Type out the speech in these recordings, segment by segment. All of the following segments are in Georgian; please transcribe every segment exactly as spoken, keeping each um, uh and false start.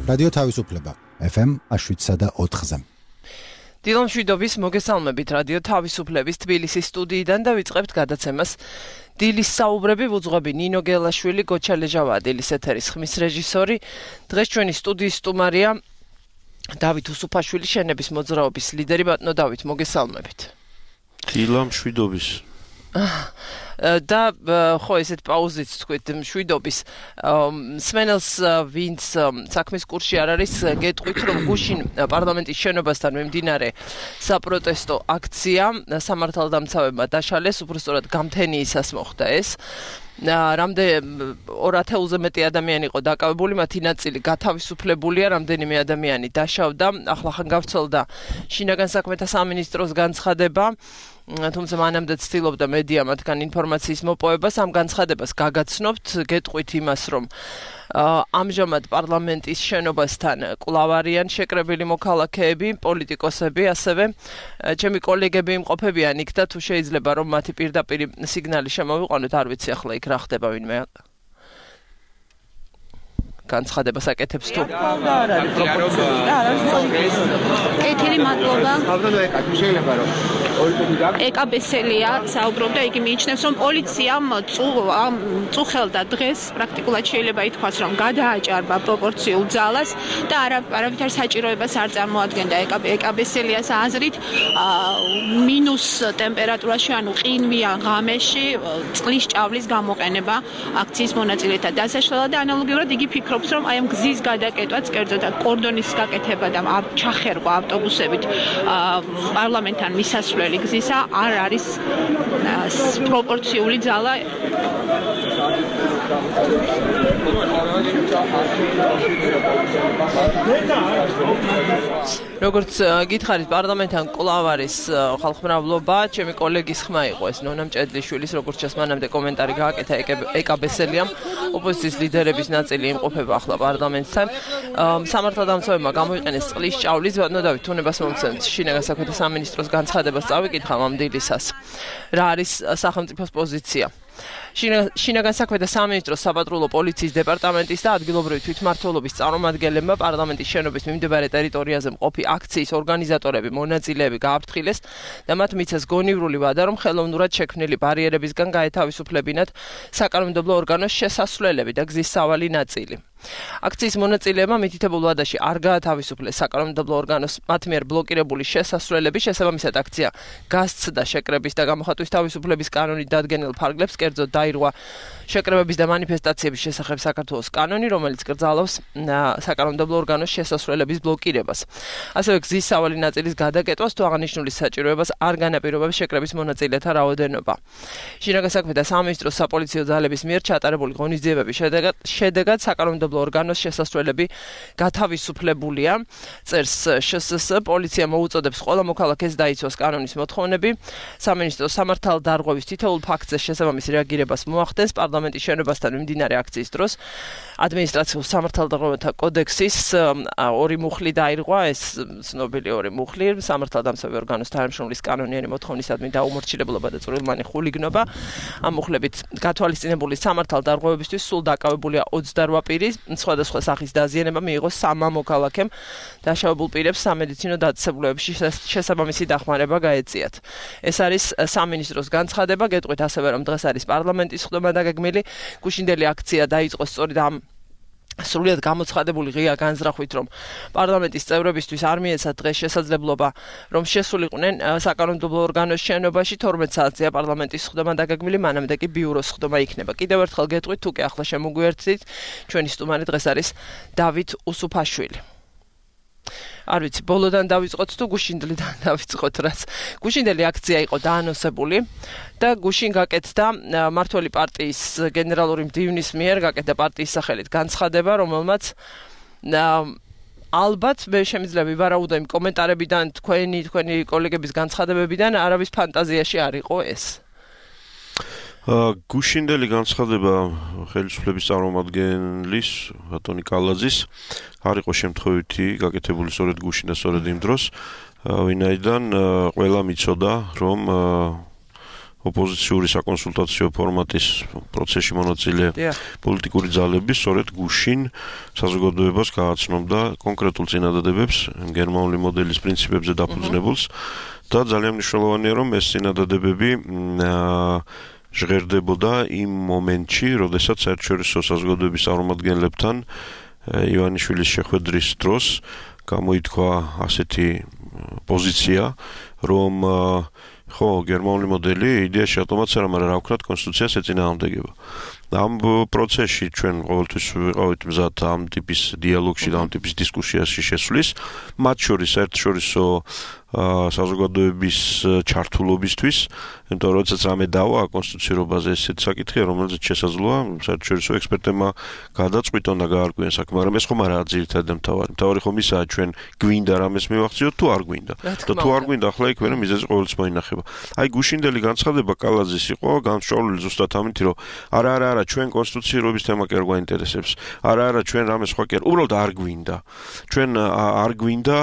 რადიო თავისუფლება ეფ ემ შვიდსა და ოთხზე. დილო მშვიდობის მოგესალმებით რადიო თავისუფლების თბილისის სტუდიიდან და ვიწყებთ გადაცემას დილის საუბრები. ვუძღვები ნინო გელაშვილი, გოჩა ლეჟავა დილის ეთერის ხმის რეჟისორი. დღეს ჩვენი სტუდიის სტუმარია დავით უსუფაშვილი, შენების მოძრაობის ლიდერი. ბატონო დავით, მოგესალმებით. დილო მშვიდობის. და ხო ესეთ პაუზით თქვით მშვიდობის სმენელს ვინც საქმის კურსში არ არის გეტყვით რომ გუშინ პარლამენტის შენობასთან მიმდინარე საპროტესტო აქცია სამართალდამცავებმა დაშალეს, უბრალოდ გამთენიისას მოხდა ეს. რამდენ ორ ათეულზე მეტი ადამიანი იყო დაკავებული, მათი ნაწილი გათავისუფლებულია, რამდენიმე ადამიანი დაშავდა. ახლახან გავრცელდა შინაგან საქმეთა სამინისტროს განცხადება, თუმცა მანამდე ცდილობდა მედია მათგან ინფორმაციის მოპოვებას. ამ განცხადებას გაგაცნობთ, გეტყვით იმას, რომ ამჟამად პარლამენტის შენობასთან კვლავ არიან შეკრებილი მოქალაქეები, პოლიტიკოსები, ასევე ჩემი კოლეგები იმყოფებიან იქ და თუ შეიძლება რომ მათი პირდაპირ სიგნალი შემოვიყვანოთ, არ ვიცი ახლა იქ რა ხდება, ვინმე განცხადებას აკეთებს თუ კეთილი მადლობა. ეკაბესელია საუბრობდა, იგი მიიჩნევს, რომ პოლიციამ წუხელდა დღეს, პრაქტიკულად შეიძლება ითქვას, რომ გადააჭარბა პროპორციულ ძალას და არავითარ საჭიროებას არ წარმოადგენდა ეკაბესელიას აზრით. მინუს ტემპერატურაში, ანუ ყინვიან ღამეში წყლის ჭავლის გამოყენება აქციის მონაწილეთა დასაშლელად და ანალოგიურად იგი ფიქრობს, რომ აი ამ გზის გადაკეთვაც, კერძოდ კორდონის გაკეთება და ჩახერგვა ავტობუსებით პარლამენტთან მისასვლელი გზისა არ არის პროპორციული ძალა. როგორც გითხარით, პარლამენტთან კვლავ არის ხალხმრავლობა. ჩემი კოლეგის ხმა იყო ეს ნონა მჭედლიშვილის, როგორც ჩანს მანამდე კომენტარი გააკეთა ეკაბესელიამ. ოპოზიციის ლიდერების ნაწილი იმყოფება ახლა პარლამენტთან. სამართალდამცავებმა გამოიყენეს წყლის ჭავლის. ბატონო დავით, თუნებას მომცემთ შინაგან საქმეთა სამინისტროს განცხადებას წავიკითხავ ამ დილისას. რა არის სახელმწიფოს პოზიცია? შინაგან საქმეთა სამინისტროს საპატრულო პოლიციის დეპარტამენტის და ადგილობრივი თვითმმართველობის წარმომადგენლებმა პარლამენტის შენობის მიმდებარე ტერიტორიაზე მყოფი აქციის ორგანიზატორები, მონაწილეები გააფრთხილეს და მათ მიცეს გონივრული ვადა, რომ ხელოვნურად შექმნილი ბარიერებისგან გაეთავისუფლებინათ საკანონმდებლო ორგანოს შესასვლელები და გზის სავალი ნაწილი. აქციის მონაწილეებმა მითითებულ ვადაში არ გაათავისუფლეს საკანონმდებლო ორგანოს მათ მიერ ბლოკირებული შესასვლელები. შესაბამისად აქცია გასცდა შეკრების და გამოხატვის თავისუფლების კანონით დადგენილ ფარგლებს, კერძოდ დაირღვა შეკრებების და მანიფესტაციების შესახებ საქართველოს კანონი, რომელიც კრძალავს საკანონმდებლო ორგანოს შესასვლელების ბლოკირებას. ასევე გზის სავალი ნაწილის გადაკეთვას თუ აღნიშნული საჭიროებას არ განაპირობებს შეკრების მონაწილეთა რაოდენობა. შინაგან საქმეთა სამინისტროს საპოლიციო ძალების მიერ ჩატარებული ღონისძიებების შედეგად შედეგად საკანონმდებლო ორგანოს შესასვლელები გათავისუფლებულია. წერს შ ეს ეს პოლიცია მოუწოდებს ყველა მოქალაქეს დაიცვას კანონის მოთხოვნები. სამინისტროს სამართალდარღვევის თითოეულ ფაქტზე შესაბამის რეაგირებას მოახდენს. პარლამენტის შენობასთან მიმდინარე აქციის დროს ადმინისტრაციულ სამართალდარღვევათა კოდექსის ორი მუხლი დაირღვა. ეს ცნობილი ორი მუხლი სამართალდამცავი ორგანოს თანამშრომლის კანონიანი მოთხოვნისადმი დაუმორჩილებლობა და წვრილმანი ხულიგნობა. ამ მუხლებით გათვალისწინებული სამართალდარღვევებისთვის სულ დაკავებულია ოცდარვა პირი. სხვადასხვა სახის დაზიანება მიიღო სამმა მოქალაქემ. დაშავებულ პირებს სამედიცინო დაწესებულებებში შესაბამისი დახმარება გაეწიათ. ეს არის სამინისტროს განცხადება. გეტყვით ასევე, რომ დღეს არის პარლამენტის ხდომა დაგეგმილი. გუშინდელი აქცია დაიწყო სწორედ ამ სრულიად გამოცხადებული ღია განზრახვით, რომ პარლამენტის წევრებისთვის არ მიეცათ დღეს შესაძლებლობა, რომ შესულიყვნენ საკანონმდებლო ორგანოს შენობაში. თორმეტ საათზეა პარლამენტის ხდომა დაგეგმილი, მანამდე კი ბიუროს ხდომა იქნება. კიდევ ერთხელ გეტყვით, თუ კი ახლა შემოგვიერთდით, ჩვენი სტუმარი დღეს არის დავით უსუფაშვილი. არ ვიცი, ბოლოდან დავიწყოთ თუ გუშინდლიდან დავიწყოთ, რაც გუშინდელი აქცია იყო დაანონსებული და გუშინ გაკეთდა მმართველი პარტიის გენერალური მდივნის მიერ გაკეთდა პარტიის სახელით განცხადება, რომელმაც ალბათ მე შემიძლია ვივარაუდო იმ კომენტარებიდან, თქვენი თქვენი კოლეგების განცხადებებიდან, არავის ფანტაზიაში არ იყო ეს. გუშინდელი განცხადება ხელისუფლების წარმომადგენლის ბატონი კალაძის არ იყო შემთხვევითი გაკეთებული სწორედ გუშინ და სწორედ იმ დროს, ვინაიდან ყველა მიცოდა, რომ ოპოზიციური საკონსულტაციო ფორმატის პროცესში მონაწილე პოლიტიკური ძალები სწორედ გუშინ საზოგადოებას გააცნობდა კონკრეტულ წინადადებებს გერმანული მოდელის პრინციპებზე დაფუძნებულს და ძალიან მნიშვნელოვანია რომ ეს წინადადებები ჟღერდებოდა იმ მომენტში, როდესაც საერთაშორისო საზოგადოების წარმომადგენლებთან ივანიშვილის შეხვედრის დროს გამოითქვა ასეთი პოზიცია, რომ ხო, გერმანული მოდელი იდეაში ავტომატს არ ამარა რა ვქნათ კონსტიტუციას ეწინააღმდეგება. ამ პროცესში ჩვენ ყოველთვის ვიყავით მზად ამ ტიპის დიალოგში და ამ ტიპის დისკუსიაში შესვლის, მათ შორის საერთაშორისო საზოგადოების ჩართულობისთვის, იმიტომ რომ როდესაც რამე დავა კონსტიტუციურობაზე ესეთ საკითხია, რომელზეც შესაძლოა საერთაშორისო ექსპერტებმა გადაწყვიტონ და გაარკვიონ საქმე, მაგრამ ეს ხომ არაა ძირითადი მთავარი. მთავარი ხომ ისაა ჩვენ გვინდა რამეს მივახციოთ თუ არ გვინდა. და თუ არ გვინდა ახლა იქ ვერა მიზეზი ყოველთვის მოინახება. აი გუშინდელი განცხადება კალაძის იყო განსწავლული ზუსტად ამით, რომ არა არა არა ჩვენ კონსტიტუციურობის თემა კი არ გვაინტერესებს. არა არა ჩვენ რამე სხვა კი არ, უბრალოდ არ გვინდა. ჩვენ არ გვინდა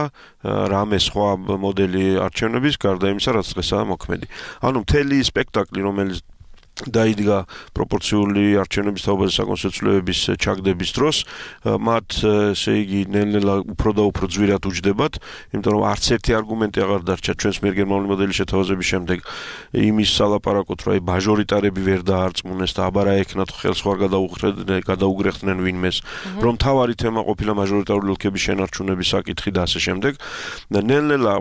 რამე სხვა მოდელი არჩევნების გარდა იმისა, რაც დღესაა მოქმედი. ანუ მთელი სპექტაკლი, რომელიც დაიდგა პროპორციული არჩევნების თაობაზე საკონსტიტუციების ჩაგდების დროს, მათ ესე იგი ნელ-ნელა უფრო და უფრო ძვირად უჯდებათ, იმიტომ რომ არც ერთი არგუმენტი აღარ დარჩა ჩვენს მიერ გერმანული მოდელის შეთავაზების შემდეგ იმის სალაპარაკოთ, რომ აი მაჟორიტარები ვერ დაარწმუნეს და აბარა ეკნათ ხელს ხوار გადაუხრდნენ, გადაუგრეხდნენ ვინმეს, რომ თავარი თემა ყოფილა მაჟორიტარული ოლქების შენარჩუნების საკითხი და ასე შემდეგ. და ნელ-ნელა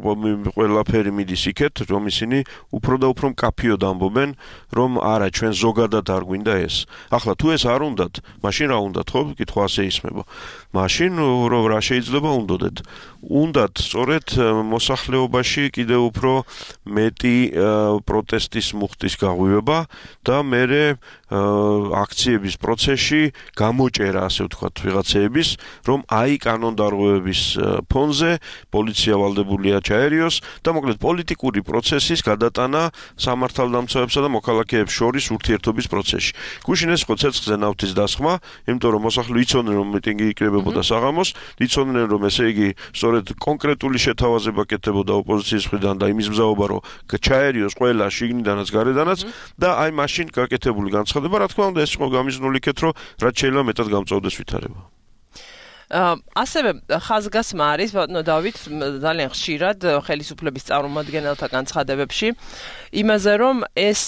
ყველაფერი მიდის იქეთ, რომ ისინი უფრო და უფრო მკაფიოდ ამბობენ, რომ არა ჩვენ ზოგადად არ გვინდა ეს. ახლა თუ ეს არ უნდათ, მაშინ რა უნდათ, ხო? კითხვა ასე ისმება. მაშინ რომ რა შეიძლება უნდოდეთ? უნდათ სწორედ მოსახლეობაში კიდევ უფრო მეტი პროტესტის მუხტის გაღვივება და მერე აქციების პროცესში გამოჭერა, ასე ვთქვათ, ვიღაცეების, რომ აი კანონდარღვევების ფონზე პოლიცია ვალდებულია ჩაერიოს და მოკლედ პოლიტიკური პროცესის გადატანა სამართალდამცავებსა და მოქალაქეებს შორის ურთიერთობის პროცესში. გუშინ ეს იყო ცეცხლზე ნავთის დასხმა, იმიტომ რომ მოსახლე იცოდნენ რომ მიტინგი იკრებებოდა საღამოს, იცოდნენ რომ ესე იგი სწორედ კონკრეტული შეთავაზება კეთდებოდა ოპოზიციის მხრიდან და იმის მზაობა რომ ჩაერიოს ყველა შიგნიდანაც გარედანაც და აი მაშინ გაკეთებული განცხადება, რა თქმა უნდა, ეს იყო გამიზნული იქეთ, რომ რაც შეიძლება მეტად გამწვავდეს ვითარება. ასევე ხაზგასმა არის ბატონო დავით ძალიან ხშირად ხელისუფლების წარმომადგენელთა განცხადებებში იმაზე რომ ეს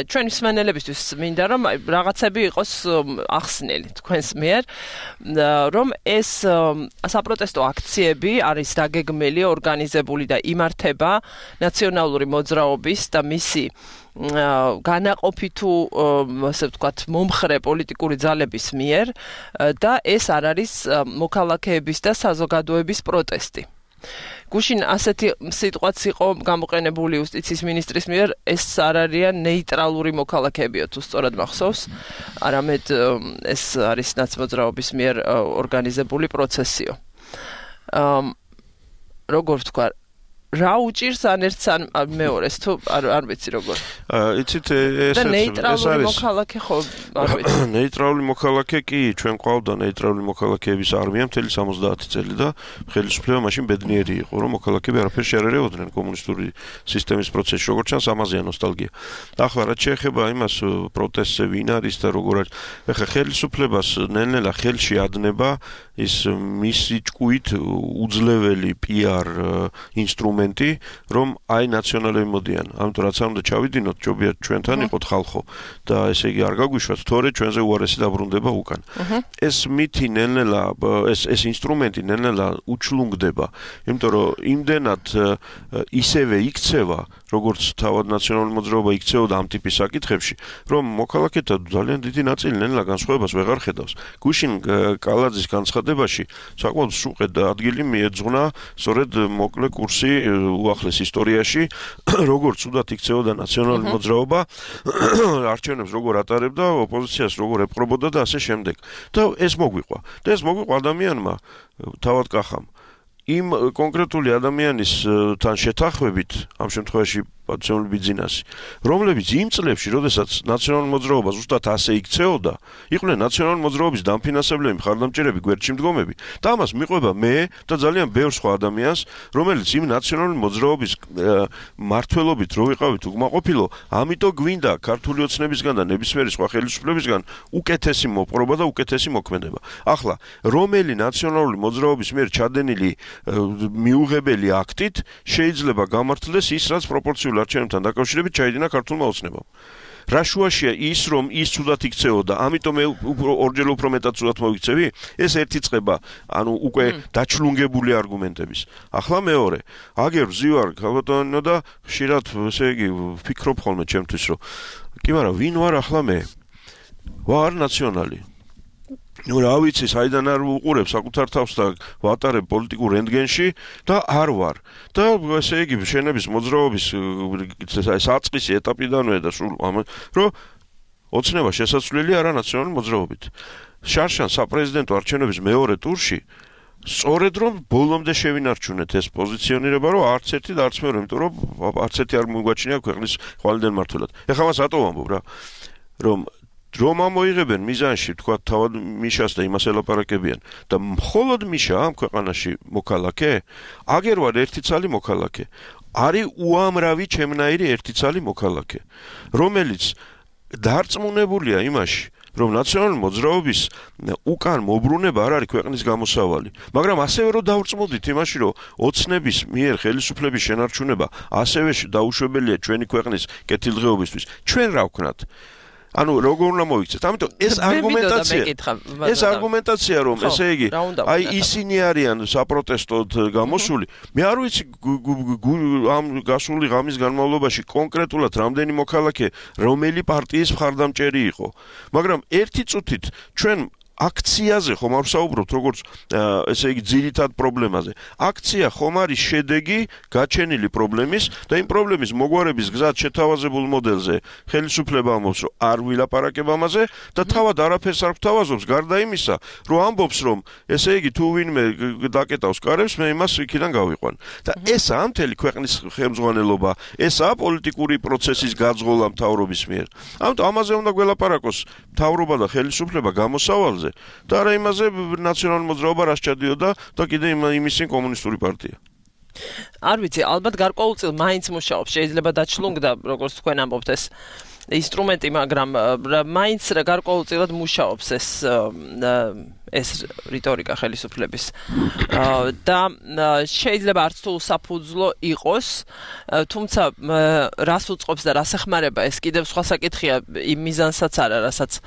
ჩვენი მსმენელებისთვის მინდა რომ რაღაცები იყოს ახსნელი თქვენს მიერ რომ ეს საპროტესტო აქციები არის დაგეგმილი, ორგანიზებული და იმართება ნაციონალური მოძრაობის და მისი განაყოფი თუ ასე ვთქვათ მომხრე პოლიტიკური ძალების მიერ და ეს არ არის მოქალაქეების და საზოგადოების პროტესტი. გუშინ ასეთი სიტყვაც იყო გამოყენებული იუსტიციის მინისტრის მიერ, ეს არ არიან ნეიტრალური მოქალაქეებიო თუ სწორად მახსოვს, არამედ ეს არის ნაცმოძრაობის მიერ ორგანიზებული პროცესიო. როგორ ვთქვა რა უჭირს ან ერთს ან მეორეს თუ არ არ ვიცი როგორ. იცით ეს ეს ნეიტრალური მოქალაქე ხო არ ვიცი. ნეიტრალური მოქალაქე კი ჩვენ ყავდა ნეიტრალური მოქალაქეების არმია მთელი სამოცდაათი წელი და ხელისუფლება მაშინ ბედნიერი იყო რომ მოქალაქეები არაფერს არ ერეოდნენ კომუნისტური სისტემის პროცესში როგორც ჩანს ამაზეა ნოსტალგია. ახლა რაც შეეხება იმას პროტესტზე ვინ არის და როგორ არის ახლა ხელისუფლებას ნელ-ნელა ხელში ადნება ის მისი ჭკუით უძლეველი პიარ ინსტრუმენტი, რომ აი ნაციონალები მოდიან. ამიტომ რაც არ უნდა ჩავიდინოთ, ჯობია ჩვენთან იყოთ ხალხო და ესე იგი არ გაგვიშვათ, თორე ჩვენზე უარესი დაბრუნდება უკან. ეს მითი ნელ-ნელა ეს ეს ინსტრუმენტი ნელ-ნელა უჩლუნგდება, იმიტომ რომ იმდენად ისევე იქცევა, როგორც თავად ნაციონალური მოძრაობა იქცეოდა ამ ტიპის საკითხებში, რომ მოქალაქეთა ძალიან დიდი ნაწილი ნელ-ნელა განსხვავებას ვეღარ ხედავს. გუშინ კალაძის განცხადებაში საკმაოდ სუყედ ადგილი მიეძღვნა სწორედ მოკლე კურსი უახლეს ისტორიაში, როგორც უდათ იქცეოდა ნაციონალური მოძრაობა, არჩევნებს როგორ ატარებდა, ოპოზიციას როგორ ეპყრობოდა და ასე შემდეგ. და ეს მოგვიყვა. და ეს მოგვიყვა ადამიანმა, თავად კახამ. იმ კონკრეტული ადამიანის თან შეთანხმებით, ამ შემთხვევაში პატრიოტული ბიზნესი, რომლებიც იმ წლებში, როდესაც ნაციონალურ მოძრაობას ზუსტად ასე იქცეოდა, იყვნენ ნაციონალური მოძრაობის დამფინანსებლები, მხარდამჭერები, გვერდში მდგომები. და ამას მიყვება მე და ძალიან ბევრ სხვა ადამიანს, რომელიც იმ ნაციონალური მოძრაობის მმართველობით რო ვიყავით უკმაყოფილო, ამიტომ გვინდა ქართული ოცნებისგან და ნებისმიერი სხვა ხელისუფლებისგან უკეთესი მოპყრობა და უკეთესი მოქმედება. ახლა რომელი ნაციონალური მოძრაობის მიერ ჩადენილი მიუღებელი აქტით შეიძლება გამართლდეს ის, რაც პროპორციულ არჩევნებთან დაკავშირებით ჩაიდინა ქართულმა ოცნებამ. რა შუაშია ის, რომ ის ცუდად იქცეოდა, ამიტომ მე ორჯერ უფრო მეტად ცუდად მოვიქცევი? ეს ერთი წყება, ანუ უკვე დაჩლუნგებული არგუმენტების. ახლა მეორე, აგერ ვზივარ ქალბატონო და ხშირად, ესე იგი, ვფიქრობ ხოლმე ჩემთვის, რომ კი მაგრამ ვინ ვარ ახლა მე? ვარ ნაციონალი. ნუ რა ვიცი, საიდან არ უყურებ საკუთარ თავს და ვატარებ პოლიტიკურ რენტგენში და არ ვარ. და ესე იგი, შენების მოძრაობის საწყისი ეტაპიდანვე და სულ ამ რომ ოცნება შესაძლებელი არა ნაციონალური მოძრაობით. შარშან საპრეზიდენტო არჩევნების მეორე ტურში სწორედ რომ ბოლომდე შევინარჩუნეთ ეს პოზიციონირება, რომ არც ერთი და არც მეორე, იმიტომ რომ არც ერთი არ მოგვაჩნია ქვეყნის ხვალიდან მმართველად. ეხლა მას რატო ვამბობ რა? რომ რომ ამოიღებენ მიზანში, თქვა თავად მიშას და იმას ელაპარაკებიან და მხოლოდ მიშა ამ ქვეყანაში მოქალაქე, აგერ ვარ ერთი ცალი მოქალაქე. არის უამრავი ჩემნაირი ერთი ცალი მოქალაქე, რომელიც დარწმუნებულია იმაში, რომ ნაციონალური მოძრაობის უკან მობრუნება არ არის ქვეყნის გამოსავალი. მაგრამ ასევე რომ დავრწმუნდით იმაში, რომ ოცნების მიერ ხელისუფლების შენარჩუნება ასევე დაუშვებელია ჩვენი ქვეყნის კეთილდღეობისთვის. ჩვენ რა ვქნათ? ანუ როგორ უნდა მოიქცეთ? ამიტომ ეს არგუმენტაცია, ეს არგუმენტაცია რომ ესე იგი, აი ისინი არიან საპროტესტოდ გამოსული. მე არ ვიცი ამ გასული ღამის განმავლობაში კონკრეტულად რამდენი მოქალაქე რომელი პარტიის მხარდამჭერი იყო. მაგრამ ერთი წუთით ჩვენ აქციაზე ხომ არ ვსაუბრობთ როგორც ესე იგი ძირითად პრობლემაზე. აქცია ხომ არის შედეგი გაჩენილი პრობლემის და იმ პრობლემის მოგვარების გზად შეთავაზებულ მოდელზე ხელისუფლება ამბობს, რომ არ ვილაპარაკებ ამაზე და თავად არაფერს არ გვთავაზობს, გარდა იმისა, რომ ამბობს, რომ ესე იგი თუ ვინმე დაკეტავს კარებს, მე იმას იქიდან გავიყვან. და ესაა მთელი ქვეყნის ხელმძღვანელობა, ესაა პოლიტიკური პროცესის გაძღოლა მთავრობის მიერ. ამიტომ ამაზე უნდა გველაპარაკოს მთავრობა და ხელისუფლება გამოსავალზე. და არა იმაზე ნაციონალური მოძრაობა რას ჩადიოდა და კიდე იმისი კომუნისტური პარტია. არ ვიცი, ალბათ გარკვეულწილ მაინც მუშაობს, შეიძლება დაჩლუნგდა, როგორც თქვენ ამბობთ ეს ინსტრუმენტი, მაგრამ მაინც გარკვეულწილად მუშაობს ეს ეს რიტორიკა ხელისუფლების. და შეიძლება არც თუ საფუძვლო იყოს, თუმცა რას უწყობს და რას ეხმარება, ეს კიდევ სხვა საკითხია, იმ მიზანსაც არა, რასაც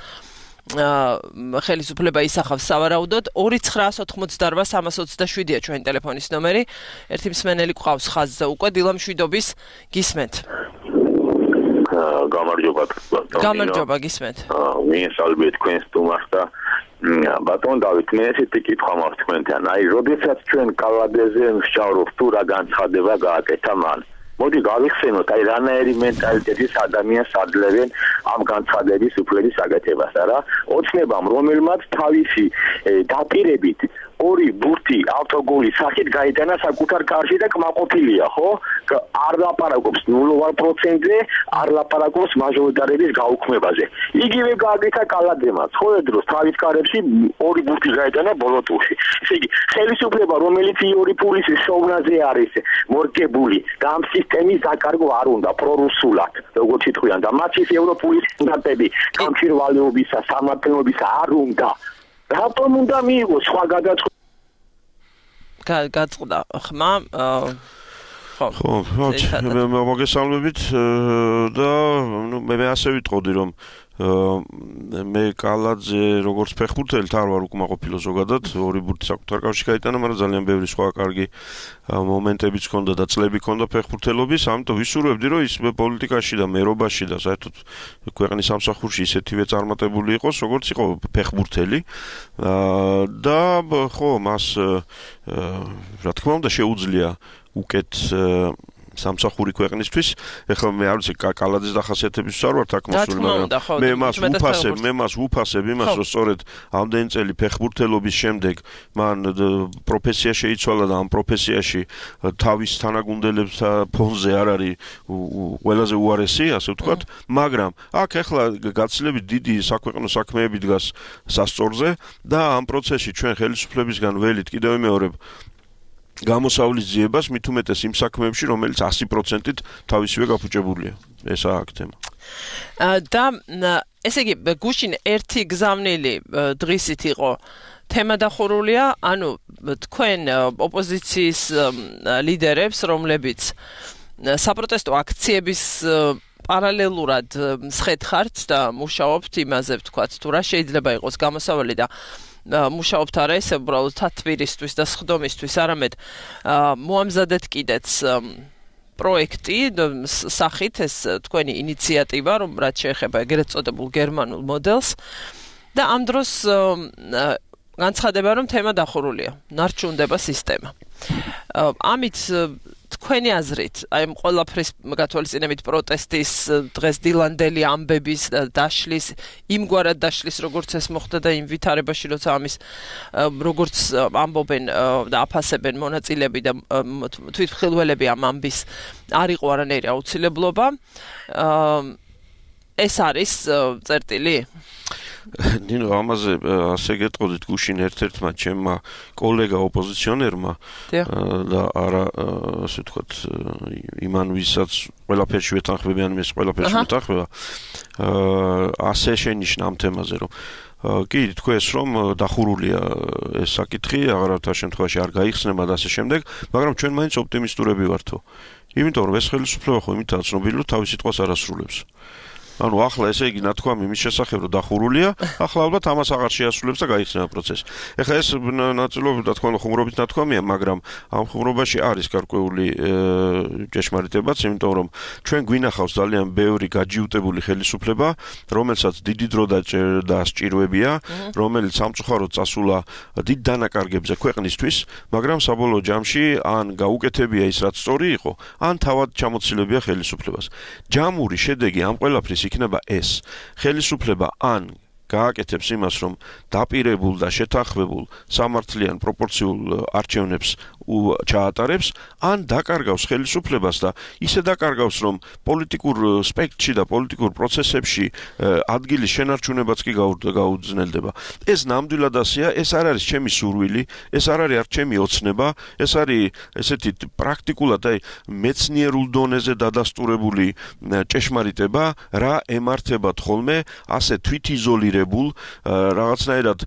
ხელისუფლება ისახავს სავარაუდოდ. ორი ცხრაას ოთხმოცდაორვა სამას ოცდაშვიდია ჩვენი ტელეფონის ნომერი. ერთი მსმენელი გვყავს ხაზზე უკვე. დილა მშვიდობის, გისმენთ. გამარჯობა. გამარჯობა, გისმენთ. მიესალმე თქვენ სტუმარს და ბატონ დავით, მე ესეთი კითხვა მაქვს თქვენთან. აი, როდესაც ჩვენ კალადეზე ვსჯავრობთ, თუ რა განცხადება გააკეთა მან. მოდი გავიხსენოთ, აი რანაირი მენტალიტეტის ადამიანს ადლებენ ამ განცხადების უფლების გაკეთებას, არა? ოცნებამ, რომელმაც თავისი დაპირებით ორი ბურთი ავტოგოლის სახით გაიტანა საკუთარ კარში და კმაყოფილია, ხო? არ ლაპარაკობს ნულოვან პროცენტზე, არ ლაპარაკობს მაჟორიტარების გაუქმებაზე. იგივე გააკეთა კალადემაც, ხო დროს თავის კარებში ორი ბურთი გაიტანა ბოლო ტურში. ესე იგი, ხელისუფლება, რომელიც ორი პულის შოვნაზე არის მორგებული და ამ სისტემის დაკარგვა არ უნდა პრორუსულად, როგორც ითქვიან და მათთვის ევროპული სტანდარტები გამჭირვალეობისა, სამართლებისა არ უნდა. რატომ უნდა მიიღოს სხვა გადაწყვეტილება? გაწყდა ხმა ხო, მე მოგესალმებით და ნუ მე ასე ვიტყოდი, რომ მე კალაძე როგორც ფეხბურთელით არ ვარ უკმაყოფილო ზოგადად, ორი ბურთი საკუთარ კავშირში გაიტანა, მაგრამ ძალიან ბევრი სხვა კარგი მომენტებიც ჰქონდა და წლები ჰქონდა ფეხბურთელობის, ამიტომ ვისურვებდი, რომ ის პოლიტიკაში და მერობაში და საერთოდ ქვეყნის სამსახურში ისეთივე წარმატებული იყოს, როგორც იყო ფეხბურთელი და ხო, მას რა თქმა უნდა შეუძლია უკეთ სამსახური ქვეყნისთვის. ეხლა მე არ ვიცი კალაძის დახასიათების ვსარ ვარ აქ მოსული, მაგრამ მე მას ვუფასებ, მე მას ვუფასებ იმას, რომ სწორედ ამდენი წელი ფეხბურთელობის შემდეგ მან პროფესია შეიცვალა და ამ პროფესიაში თავის თანაგუნდელებს ფონზე არ არის ყველაზე უარესი, ასე ვთქვათ, მაგრამ აქ ეხლა გაცილებით დიდი საქვეყნო საქმეები დგას სასწორზე და ამ პროცესში ჩვენ ხელისუფლებისგან ველით კიდევ მეორებ გამოსავლის ძიებას მით უმეტეს იმ საქმეებში, რომელიც ათი პროცენტით თავისივე გაფუჭებულია. ესაა აქ თემა. და ესე იგი გუშინ ერთი გზავნილი დღისით იყო თემა დახურულია, ანუ თქვენ ოპოზიციის ლიდერებს, რომლებიც საპროტესტო აქციების პარალელურად მსხეთხართ და მუშაობთ იმაზე, ვთქვათ, თუ რა შეიძლება იყოს გამოსავალი და მუშაობთ არა ესე უბრალოდ თათბირისთვის და სხდომისთვის, არამედ მოამზადეთ კიდეც პროექტი სახით ეს თქვენი ინიციატივა, რომ რაც შეეხება ეგრეთ წოდებულ გერმანულ მოდელს და ამ დროს განცხადება, რომ თემა დახურულია, ნარჩუნდება სისტემა. ამით თქვენი აზრით, აი ამ ყველაფრის გათვალისწინებით პროტესტის დღეს დილანდელი ამბების დაშლის, იმგვარად დაშლის, როგორც ეს მოხდა და იმ ვითარებაში, როცა ამის როგორც ამბობენ და აფასებენ მონაწილეები და თვითმხილველები ამ ამბის არ იყო არანაირი აუცილებლობა. ეს არის წერტილი? ნინო, ამაზე ასე გეტყოდით გუშინ ერთ-ერთმა ჩემმა კოლეგა ოპოზიციონერმა და არა ასე ვთქვათ იმან ვისაც ყველაფერში ვეთანხმებიან, მის ყველაფერში ვეთანხმება, ასე შენიშნა ამ თემაზე, რომ კი თქვენს რომ დახურულია ეს საკითხი, აღარავითარ შემთხვევაში არ გაიხსნება და ასე შემდეგ, მაგრამ ჩვენ მაინც ოპტიმისტურები ვართო. იმიტომ რომ ეს ხელისუფლება ხო იმითაა ცნობილი, რომ თავის სიტყვას არ ასრულებს. ანუ ახლა ესე იგი ნათქვამი მის შესახებ რომ დახურულია, ახლა ალბათ ამას აღარ შეასრულებს და გაიხსნება პროცესი. ეხლა ეს ნაწილობრივ და თქვა ხუმრობით ნათქვამია, მაგრამ ამ ხუმრობაში არის გარკვეული ჭეშმარიტებაც, იმიტომ რომ ჩვენ გვინახავს ძალიან ბევრი გაჯიუტებული ხელისუფლება, რომელსაც დიდი დრო და სჭიროებია, რომელიც სამწუხაროდ წასულა დიდ დანაკარგებზე ქვეყნისთვის, მაგრამ საბოლოო ჯამში ან გაუკეთებია ის რაც სწორი იყო, ან თავად ჩამოცილებია ხელისუფლებას. ჯამური შედეგი ამ ყველაფრის იქნება ეს. ხელისუფლება ან გააკეთებს იმას, რომ დაპირებულ და შეთანხმებულ სამართლიან პროპორციულ არჩევნებს ჩაატარებს, ან დაკარგავს ხელისუფლებას და ისე დაკარგავს, რომ პოლიტიკურ სპექტრში და პოლიტიკურ პროცესებში ადგილის შენარჩუნებაც კი გაუძნელდება. ეს ნამდვილად ასეა, ეს არ არის ჩემი სურვილი, ეს არ არის არ ჩემი ოცნება, ეს არის ესეთი პრაქტიკულად აი მეცნიერულ დონეზე დადასტურებული ჭეშმარიტება, რა ემართებათ ხოლმე ასე თვითიზოლირებულ, რაღაცნაირად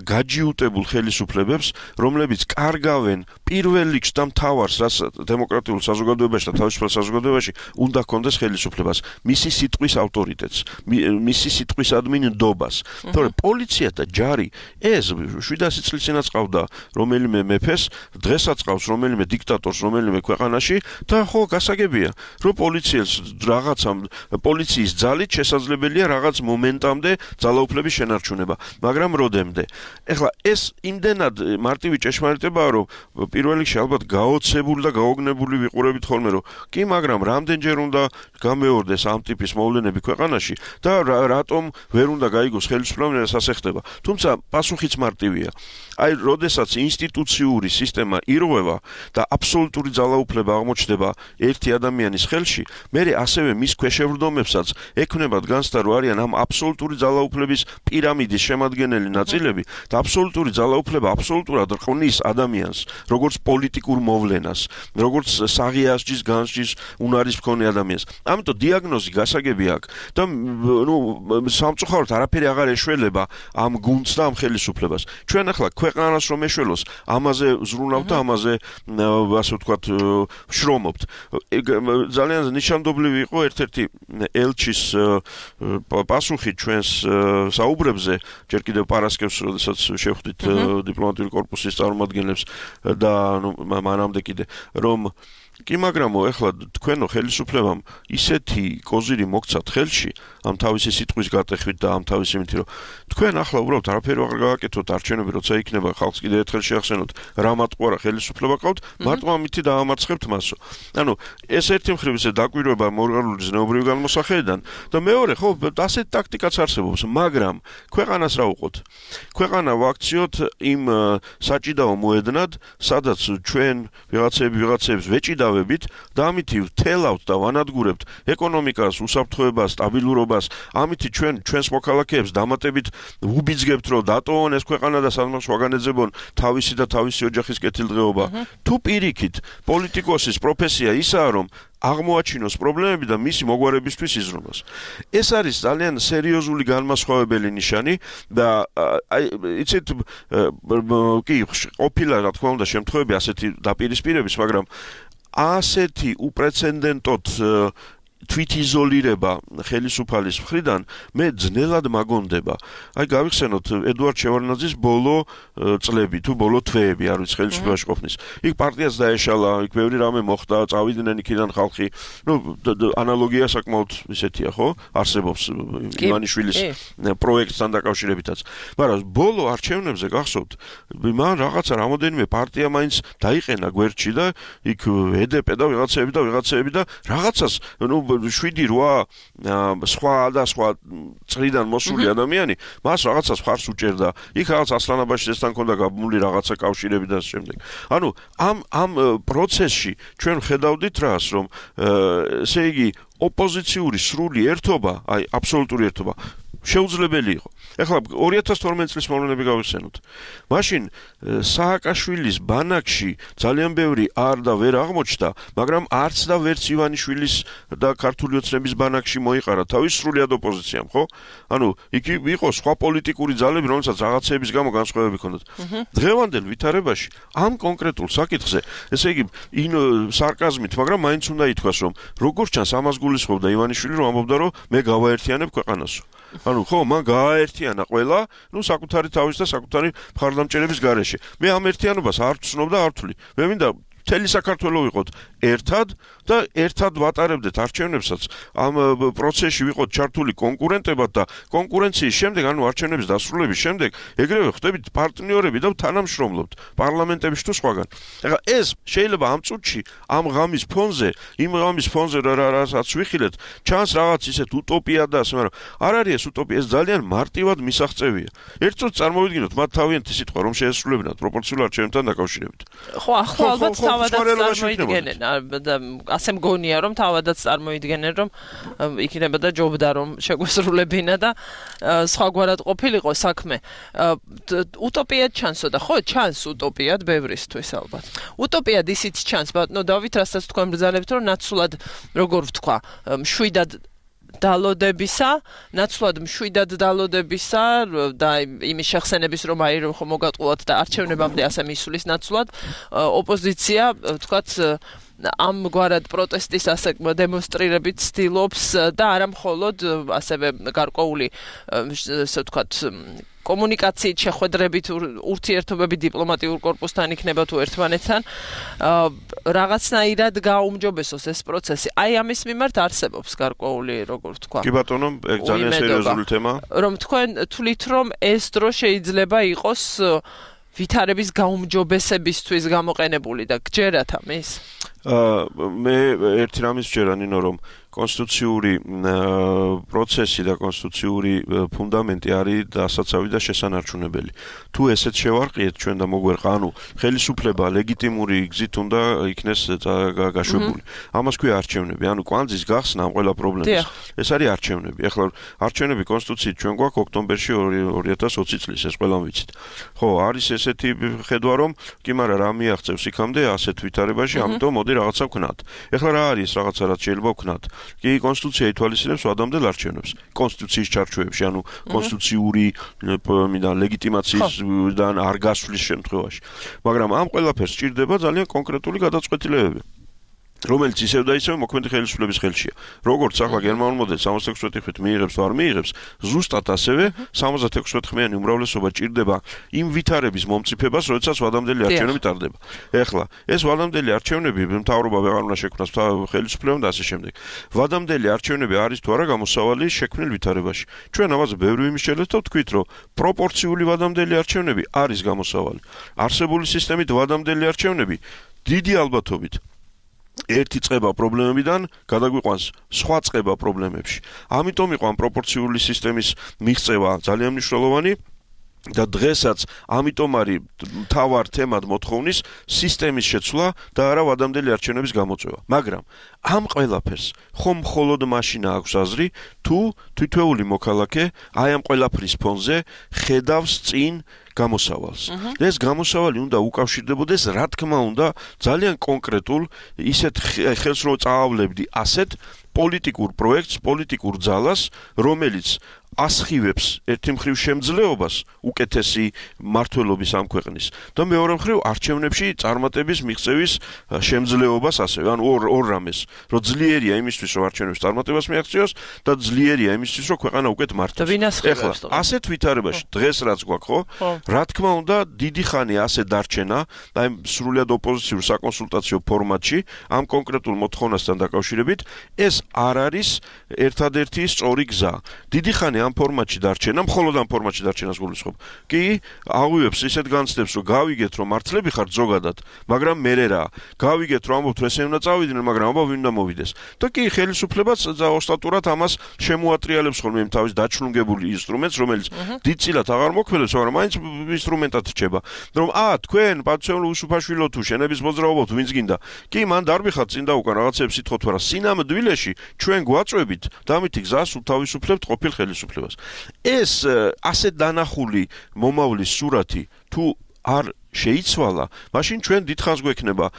გაჯიუტებულ ხელისუფლებებს, რომლებიც კარგავენ პირველ რიგში და მთავარს, რაც დემოკრატიულ საზოგადოებაში და თავისუფალ საზოგადოებაში უნდა ჰქონდეს ხელისუფლებას, მისი სიტყვის ავტორიტეტს, მისი სიტყვისადმი ნდობას. თორე პოლიცია და ჯარი ეს შვიდასი წლის წინაც ყავდა რომელიმე მეფეს, დღესაც ყავს რომელიმე დიქტატორს რომელიმე ქვეყანაში და ხო გასაგებია, რომ პოლიციელს რაღაცამ პოლიციის ძალით შესაძლებელია რაღაც მომენტამდე ძალაუფლების შენარჩუნება, მაგრამ როდემდე. ეხლა ეს იმდენად მარტივი ჭეშმარიტებაა, რომ პირველ რიგში ალბათ გაოცებული და გაოგნებული ვიყურებით ხოლმე, რომ კი, მაგრამ რამდენჯერ უნდა გამეორდეს ამ ტიპის მოვლენები ქვეყანაში და რატომ ვერ უნდა გაიგოს ხელისუფლებამ ეს ასე ხდება. თუმცა პასუხიც მარტივია. აი, როდესაც ინსტიტუციური სისტემა ირღვევა და აბსოლუტური ძალაუფლება აღმოჩნდება ერთი ადამიანის ხელში, მერე ასევე მის ქვეშევრდომებსაც ექნებათ განცდა, რომ არიან ამ აბსოლუტური ძალაუფლების პირამიდის შემადგენელი ნაწილები და აბსოლუტური ძალაუფლება აბსოლუტურად რყნის ადამიანს, როგორც პოლიტიკურ მოვლენას, როგორც საღიასჯის განსჯის უნარის მქონე ადამიანს. ამიტომ დიაგნოზი გასაგები აქვს და ნუ სამწუხაროდ არაფერი აღარ ეშველება ამ გუნდს და ამ ხელისუფლებას. ჩვენ ახლა ქვეყანას რომ ეშველოს, ამაზე ზრუნავთ და ამაზე ასე ვთქვათ შრომობთ. ძალიან ნიშანდობლივი იყო ერთ-ერთი ელჩის პასუხი ჩვენს საუბრებზე, ჯერ კიდევ პარასკევს, როდესაც შევხვდით დიპლომატიური კორპუსის წარმომადგენლებს და ნუ მანამდე კიდე რომ კი, მაგრამ ეხლა თქვენო ხელისუფლებამ ისეთი კოზირი მოგცათ ხელში ამ თავისი სიტყვის გატეხვით და ამ თავისი იმით, რომ თქვენ ახლა უბრალოდ არაფერი აღარ გააკეთოთ არჩევნები, როცა იქნება ხალხს კიდე ერთხელ შეახსენოთ რა მატყუარა ხელისუფლება ყავთ, მარტო ამითი დაამარცხებთ მასო. ანუ ეს ერთი მხრივ ისე დაკვირვება მორალური ზნეობრივი განმოსახედიდან და მეორე ხო ასეთ ტაქტიკაც არსებობს, მაგრამ ქვეყანას რა უყოთ? ქვეყანა ვაქციოთ იმ საჭიდაო მოედნად, სადაც ჩვენ ვიღაცები ვიღაცებს ვეჭიდავებით და ამითი ვთელავთ და ვანადგურებთ ეკონომიკას, უსაფრთხოებას, სტაბილურობას, ამითი ჩვენ ჩვენს მოქალაქეებს დამატებით უბიძგებთ, რომ დატოვონ ეს ქვეყანა და სადმას ვაგანეძებონ თავისი და თავისი ოჯახის კეთილდღეობა. თუ პირიქით პოლიტიკოსის პროფესია ისაა, რომ აღმოაჩინოს პრობლემები და მისი მოგვარებისთვის იზრუნოს. ეს არის ძალიან სერიოზული განმასხვავებელი ნიშანი და აი იცით კი ყოფილა რა თქმა უნდა შემთხვევები ასეთი დაპირისპირების, მაგრამ ასეთი უპრეცედენტოდ თვითიზოლირება ხელისუფალის მხრიდან მე ძნელად მაგონდება. აი გავიხსენოთ ედუარდ შევარდნაძის ბოლო წლები თუ ბოლო თვეები არ ვიცი ხელისუფლებაში ყოფნის. იქ პარტიას დაეშალა, იქ ბევრი რამე მოხდა, წავიდნენ იქიდან ხალხი. ნუ ანალოგია საკმაოდ ისეთია, ხო? არსებობს ივანიშვილის პროექტთან დაკავშირებითაც. მაგრამ ბოლო არჩევნებზე გახსოვთ, მან რაღაცა რამოდენიმე პარტია მაინც დაიყენა გვერდში და იქ ედეპე და ვიღაცები და ვიღაცები და რაღაცას ნუ შვიდი რვა სხვა და სხვა წრიდან მოსული ადამიანი მას რაღაცას ხარს უჭერდა. იქ რაღაც ასლანაბაშიძესთან ქონდა გაბმული რაღაცა კავშირები და შემდეგ. ანუ ამ ამ პროცესში ჩვენ ხედავდით რას, რომ ესე იგი ოპოზიციური სრული ერთობა, აი აბსოლუტური ერთობა შეუძლებელი იყო. ეხლა ორი ათას თორმეტი წლის მოვლენები გავიხსენოთ. მაშინ სააკაშვილის ბანაკში ძალიან ბევრი არ და ვერ აღმოჩნდა, მაგრამ არც და ვერც ივანიშვილის და ქართული ოცნების ბანაკში მოიყარა თავის სრულად ოპოზიციამ, ხო? ანუ იქ იყო სხვა პოლიტიკური ძალები, რომელსაც რაღაცების გამო განსხვავებები ჰქონდათ. დღევანდელ ვითარებაში ამ კონკრეტულ საკითხზე, ესე იგი იმ სარკაზმით, მაგრამ მაინც უნდა ითქვას, რომ როგორც ჩანს ამას გულისხმობდა ივანიშვილი, რომ ამბობდა, რომ მე გავაერთიანებ ქვეყანასო. ანუ ხო, მან გააერთიანა ყველა, ნუ საკუთარი თავის და საკუთარი მხარდამჭერების გარეშე. მე ამ ერთიანობას არ ვცნობ და არ ვთვლი. მე მინდა მთელი საქართველო ვიყოთ ერთად და ერთად ვატარებდეთ არჩევნებსაც. ამ პროცესში ვიყოთ ჩართული კონკურენტებად და კონკურენციის შემდეგ, ანუ არჩევნების დასრულების შემდეგ, ეგრევე ხდებით პარტნიორები და თანამშრომლობთ პარლამენტებში თუ სხვაგან. ეხლა ეს შეიძლება ამ წუთში, ამ ღამის ფონზე, იმ ღამის ფონზე რასაც ვიხილეთ, ჩანს რაღაც ისეთ უტოპია და ასე, მაგრამ არ არის ეს უტოპია, ეს ძალიან მარტივად მისაღწევია. ერთ წუთს წარმოვიდგინოთ მათ თავიანთი სიტყვა, რომ შეესრულებინათ პროპორციულ არჩევნებთან დაკავშირებით. ხო, ახლა ალბათ თავადაც წარმოიდგენენ და ასე მგონია რომ თავადაც წარმოიდგენენ რომ იქნებოდა ჯობდა რომ შეგვესრულებინა და სხვაგვარად ყოფილიყო საქმე. უტოპიად ჩანსოდა, ხო, ჩანს უტოპიად ბევრისთვის ალბათ. უტოპიად ისიც ჩანს, ბატონო დავით, რასაც თქვენ ბრძანებთ, რომ ნაცვლად როგორ ვთქვა, მშვიდად დალოდებისა, ნაცვლად მშვიდად დალოდებისა და იმის შეხსენების რომ აი რომ მოგატყუათ და არჩევნებამდე ასე მისulis ნაცვლად ოპოზიცია თქვათ ამგვარად პროტესტის ასე დემონსტრირებით ცდილობს და არა მხოლოდ ასევე გარკვეული ასე ვთქვათ კომუნიკაციით შეხვედრებით ურთიერთობები დიპლომატიურ კორპუსთან იქნება თუ ერთმანეთთან რაღაცნაირად გააუმჯობესოს ეს პროცესი. აი ამის მიმართ არსებობს გარკვეული როგორ ვთქვა. კი ბატონო, ეგ ძალიან სერიოზული თემა. რომ თქვენ თვლით რომ ეს დრო შეიძლება იყოს ვითარების გაუმჯობესებისთვის გამოყენებული და გჯერათ ამის? მე ერთი რამის ვჯერა ნინო, რომ კონსტიტუციური პროცესი და კონსტიტუციური ფუნდამენტი არის დასაცავი და შესანარჩუნებელი. თუ ესეც შევარყიეთ ჩვენ და მოგვერყა, ანუ ხელისუფლება ლეგიტიმური გზით უნდა იქნეს გაშვებული. ამას ქვია არჩევნები, ანუ კვანძის გახსნა ამ ყველა პრობლემის. ეს არის არჩევნები. ეხლა არჩევნები კონსტიტუციით ჩვენ გვაქვს ოქტომბერში ორი ათას ოცი წლის, ეს ყველამ ვიცით. ხო, არის ესეთი ხედვა, რომ კი, მაგრამ რა მიაღწევს იქამდე ასეთ ვითარებაში, ამიტომ მოდი რაღაცა ვქნათ. ეხლა რა არის ეს რაღაცა, რაც შეიძლება ვქნათ? კი, კონსტიტუცია ითვალისწინებს ვადამდელ არჩევნებს. კონსტიტუციის ჩარჩოებში, ანუ კონსტიტუციური მიდან ლეგიტიმაციისგან არ გასვლის შემთხვევაში. მაგრამ ამ ყველაფერს სჭირდება ძალიან კონკრეტული გადაწყვეტილებები. რომელიც ისევ და ისევ მოქმედი ხელისუფლების ხელშია. როგორც ახლა გერმანულ მოდელს სამოცდაექვსმეტი ხმით მიიღებს თუ არ მიიღებს, ზუსტად ასევე სამოცდაექვსმეტი ხმიანი უმრავლესობა ჭირდება იმ ვითარების მომწიფებას, როდესაც ვადამდელი არჩევნები ტარდება. ეხლა ეს ვადამდელი არჩევნები მთავრობა ვეღარ უნდა შექმნას ხელისუფლებამ და ასე შემდეგ. ვადამდელი არჩევნები არის თუ არა გამოსავალი შექმნილ ვითარებაში. ჩვენ ამაზე ბევრი იმისჩელეთ და ვთქვით, რომ პროპორციული ვადამდელი არჩევნები არის გამოსავალი. არსებული სისტემით ვადამდელი არჩევნები დიდი ალბათობით ერთი წება პრობლემებიდან გადაგვიყვანს სხვა წება პრობლემებში. ამიტომ იყო ამ პროპორციული სისტემის მიღწევა ძალიან მნიშვნელოვანი და დღესაც ამიტომ არის მთავარ თემად მოთხოვნის სისტემის შეცვლა და არა ვადამდელი არჩევნების გამოწვევა. მაგრამ ამ ყველაფერს ხომ მხოლოდ მაშინ აქვს აზრი, თუ თითოეული მოქალაქე აი ამ ყველაფრის ფონზე ხედავს წინ გამოსავალს. ეს გამოსავალი უნდა უკავშირდებოდეს, რა თქმა უნდა, ძალიან კონკრეტულ ისეთ ხელს რო წაავლებდი ასეთ პოლიტიკურ პროექტს, პოლიტიკურ ძალას, რომელიც ასხივებს ერთი მხრივ შემძლეობას უკეთესი მართლობის ამ ქვეყნის და მეორე მხრივ არჩევნებში წარმატების მიღწევის შემძლეობას ასევე. ანუ ორ ორ რამეს, რომ ძლიერია იმისთვის, რომ არჩევნებში წარმატებას მიაღწიოს და ძლიერია იმისთვის, რომ ქვეყანა უკეთ მართოს. ეხლა ასეთ ვითარებაში დღეს რაც გვაქვს, ხო? რა თქმა უნდა, დიდი ხანი ასე დარჩენა, აი სრულად ოპოზიციურ საკონსულტაციო ფორმატში ამ კონკრეტულ მოთხოვნასთან დაკავშირებით, ეს არ არის ერთადერთი სწორი გზა. დიდი ხანი ამ ფორმატში დარჩენა, მხოლოდ ამ ფორმატში დარჩენას გულისხმობ. კი, აღვივებს ისეთ განცდებს, რომ გავიგეთ, რომ მართლები ხართ ზოგადად, მაგრამ მერე რა. გავიგეთ, რომ ამბობთ, ესე უნდა წავიდნენ, მაგრამ ამბობ ვინ უნდა მოვიდეს. და კი, ხელისუფლებას ოსტატურად ამას შემოატრიალებს ხოლმე იმ თავის დაჩლუნგებული ინსტრუმენტს, რომელიც დიდწილად აღარ მოქმედებს, მაგრამ მაინც ინსტრუმენტად რჩება. რომ ა, თქვენ, პატივცემულ უსუფაშვილო თუ შენების მოძრაობოთ, ვინც გინდა. კი, მან დარბიხათ წინ და უკან რაღაცებს ითხოვთ, მაგრამ სინამდვილეში ჩვენ გვაწვევით და ამითი გზას უთავისუფლებთ ყოფილ ხელისუფლებას. ეს ასე დანახული მომავლის სურათი თუ არ შეიცვალა, მაშინ ჩვენ დიდხანს გვექნება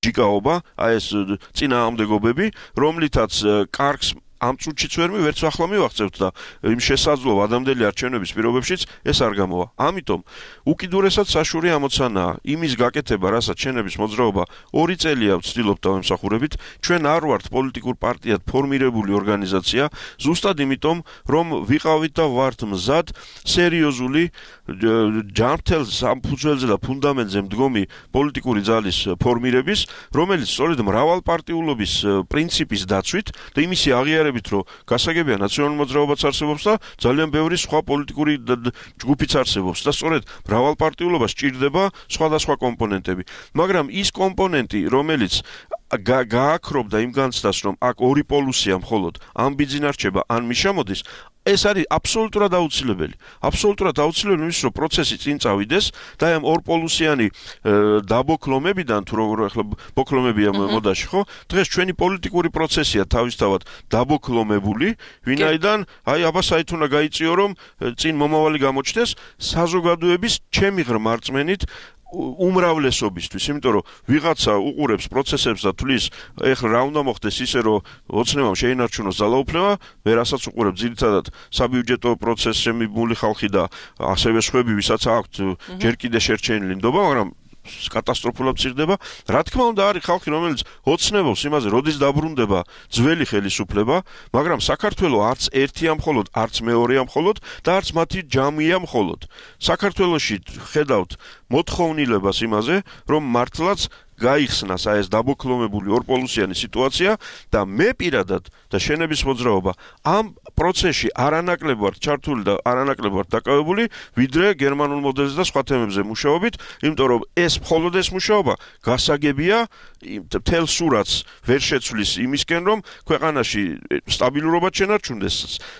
ჯიკაობა, აი ეს წინააღმდეგობები, რომლითაც კარგს ამ წუთშიც ვერ მივერც ახლა მივახცევთ და იმ შესაძლო ვადამდელი არჩევნების პირობებშიც ეს არ გამოვა. ამიტომ უკიდურესად საშური ამოცანაა იმის გაკეთება, რასაც შენების მოძრაობა ორი წელია ვცდილობთ დავემსახურებით. ჩვენ არ ვართ პოლიტიკურ პარტიად ფორმირებული ორგანიზაცია, ზუსტად იმიტომ, რომ ვიყავით და ვართ მზად სერიოზული ჯანმრთელ სამფუძველზე და ფუნდამენტზე მდგომი პოლიტიკური ძალის ფორმირების, რომელიც სწორედ მრავალპარტიულობის პრინციპის დაცვით და იმისი აღიარებით, რომ გასაგებია ნაციონალური მოძრაობაც არსებობს და ძალიან ბევრი სხვა პოლიტიკური ჯგუფიც არსებობს და სწორედ მრავალპარტიულობა სჭირდება სხვადასხვა კომპონენტები. მაგრამ ის კომპონენტი, რომელიც გააქრობდა იმ განცდას, რომ აქ ორი პოლუსია მხოლოდ ან ბიძინარჩება, ან მიშამოდის, ეს არის აბსოლუტურად აუცილებელი. აბსოლუტურად აუცილებელი ის, რომ პროცესი წინ წავიდეს და ამ ორპოლუსიანი დაბოკლომებიდან, თუ როგორ ახლა ბოკლომებია მოდაში, ხო? დღეს ჩვენი პოლიტიკური პროცესია თავისთავად დაბოკლომებული, ვინაიდან აი აბა საით უნდა გაიწიო, რომ წინ მომავალი გამოჩნდეს საზოგადოების ჩემი ღრმა რწმენით უმრავლესობისთვის, იმიტომ რომ ვიღაცა უყურებს პროცესებს და თulis, ეხლა რა უნდა მოხდეს ისე, რომ ოცნებამ შეინარჩუნოს ძალაუფლება, ვერასაც უყურებ ძირითადად საბიუჯეტო პროცესში მიბმული ხალხი და ასევე სხვები, ვისაც აქვთ ჯერ კიდე შერჩენილი ნდობა, მაგრამ კატასტროფულად მცირდება. რა თქმა უნდა, არის ხალხი, რომელიც ოცნებობს იმაზე, როდის დაბრუნდება ძველი ხელისუფლება, მაგრამ საქართველოს არც ერთია მხოლოდ, არც მეორეა მხოლოდ და არც მათი ჯამია მხოლოდ. საქართველოში ხედავთ მოთხოვნილებას იმაზე, რომ მართლაც გაიხსნას აი ეს დაბოკლომებული ორპოლუსიანი სიტუაცია და მე პირადად და შენების მოძრაობა ამ პროცესში არანაკლებ ვართ ჩართული და არანაკლებ ვართ დაკავებული, ვიდრე გერმანულ მოდელზე და სხვა თემებზე მუშაობით, იმიტომ რომ ეს მხოლოდ ეს მუშაობა გასაგებია მთელ სურათს ვერ შეცვლის იმისკენ, რომ ქვეყანაში სტაბილურობა შენარჩუნდეს,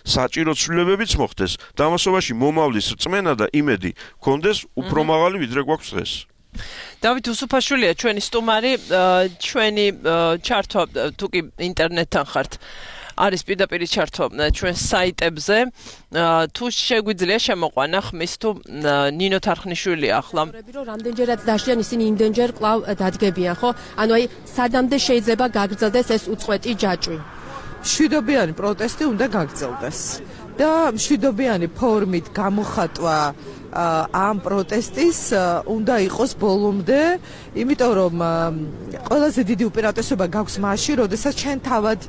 საჭირო ცვლილებებიც მოხდეს და ამასობაში მომავლის რწმენა და იმედი გქონდეს უფრო მაღალი ვიდრე გვაქვს დღეს. დავით უსუფაშვილია ჩვენი სტუმარი, ჩვენი ჩართვა თუ კი ინტერნეტთან ხართ არის პირდაპირ ჩართვა ჩვენ საიტებზე, თუ შეგვიძლია შემოყვანა ხმის თუ ნინო თარხნიშვილი ახლა რომ რამდენჯერაც დაშიან ისინი იმდენჯერ კვლავ დადგებიან, ხო? ანუ აი სადამდე შეიძლება გაგრძელდეს ეს უწყვეტი ჯაჭვი? მშვიდობიანი პროტესტი უნდა გაგრძელდეს და მშვიდობიანი ფორმით გამოხატვა ამ პროტესტის უნდა იყოს ბოლომდე, იმიტომ რომ ყველაზე დიდი უპირატესობა გაქვს მაშინ, როდესაც ჩვენ თავად,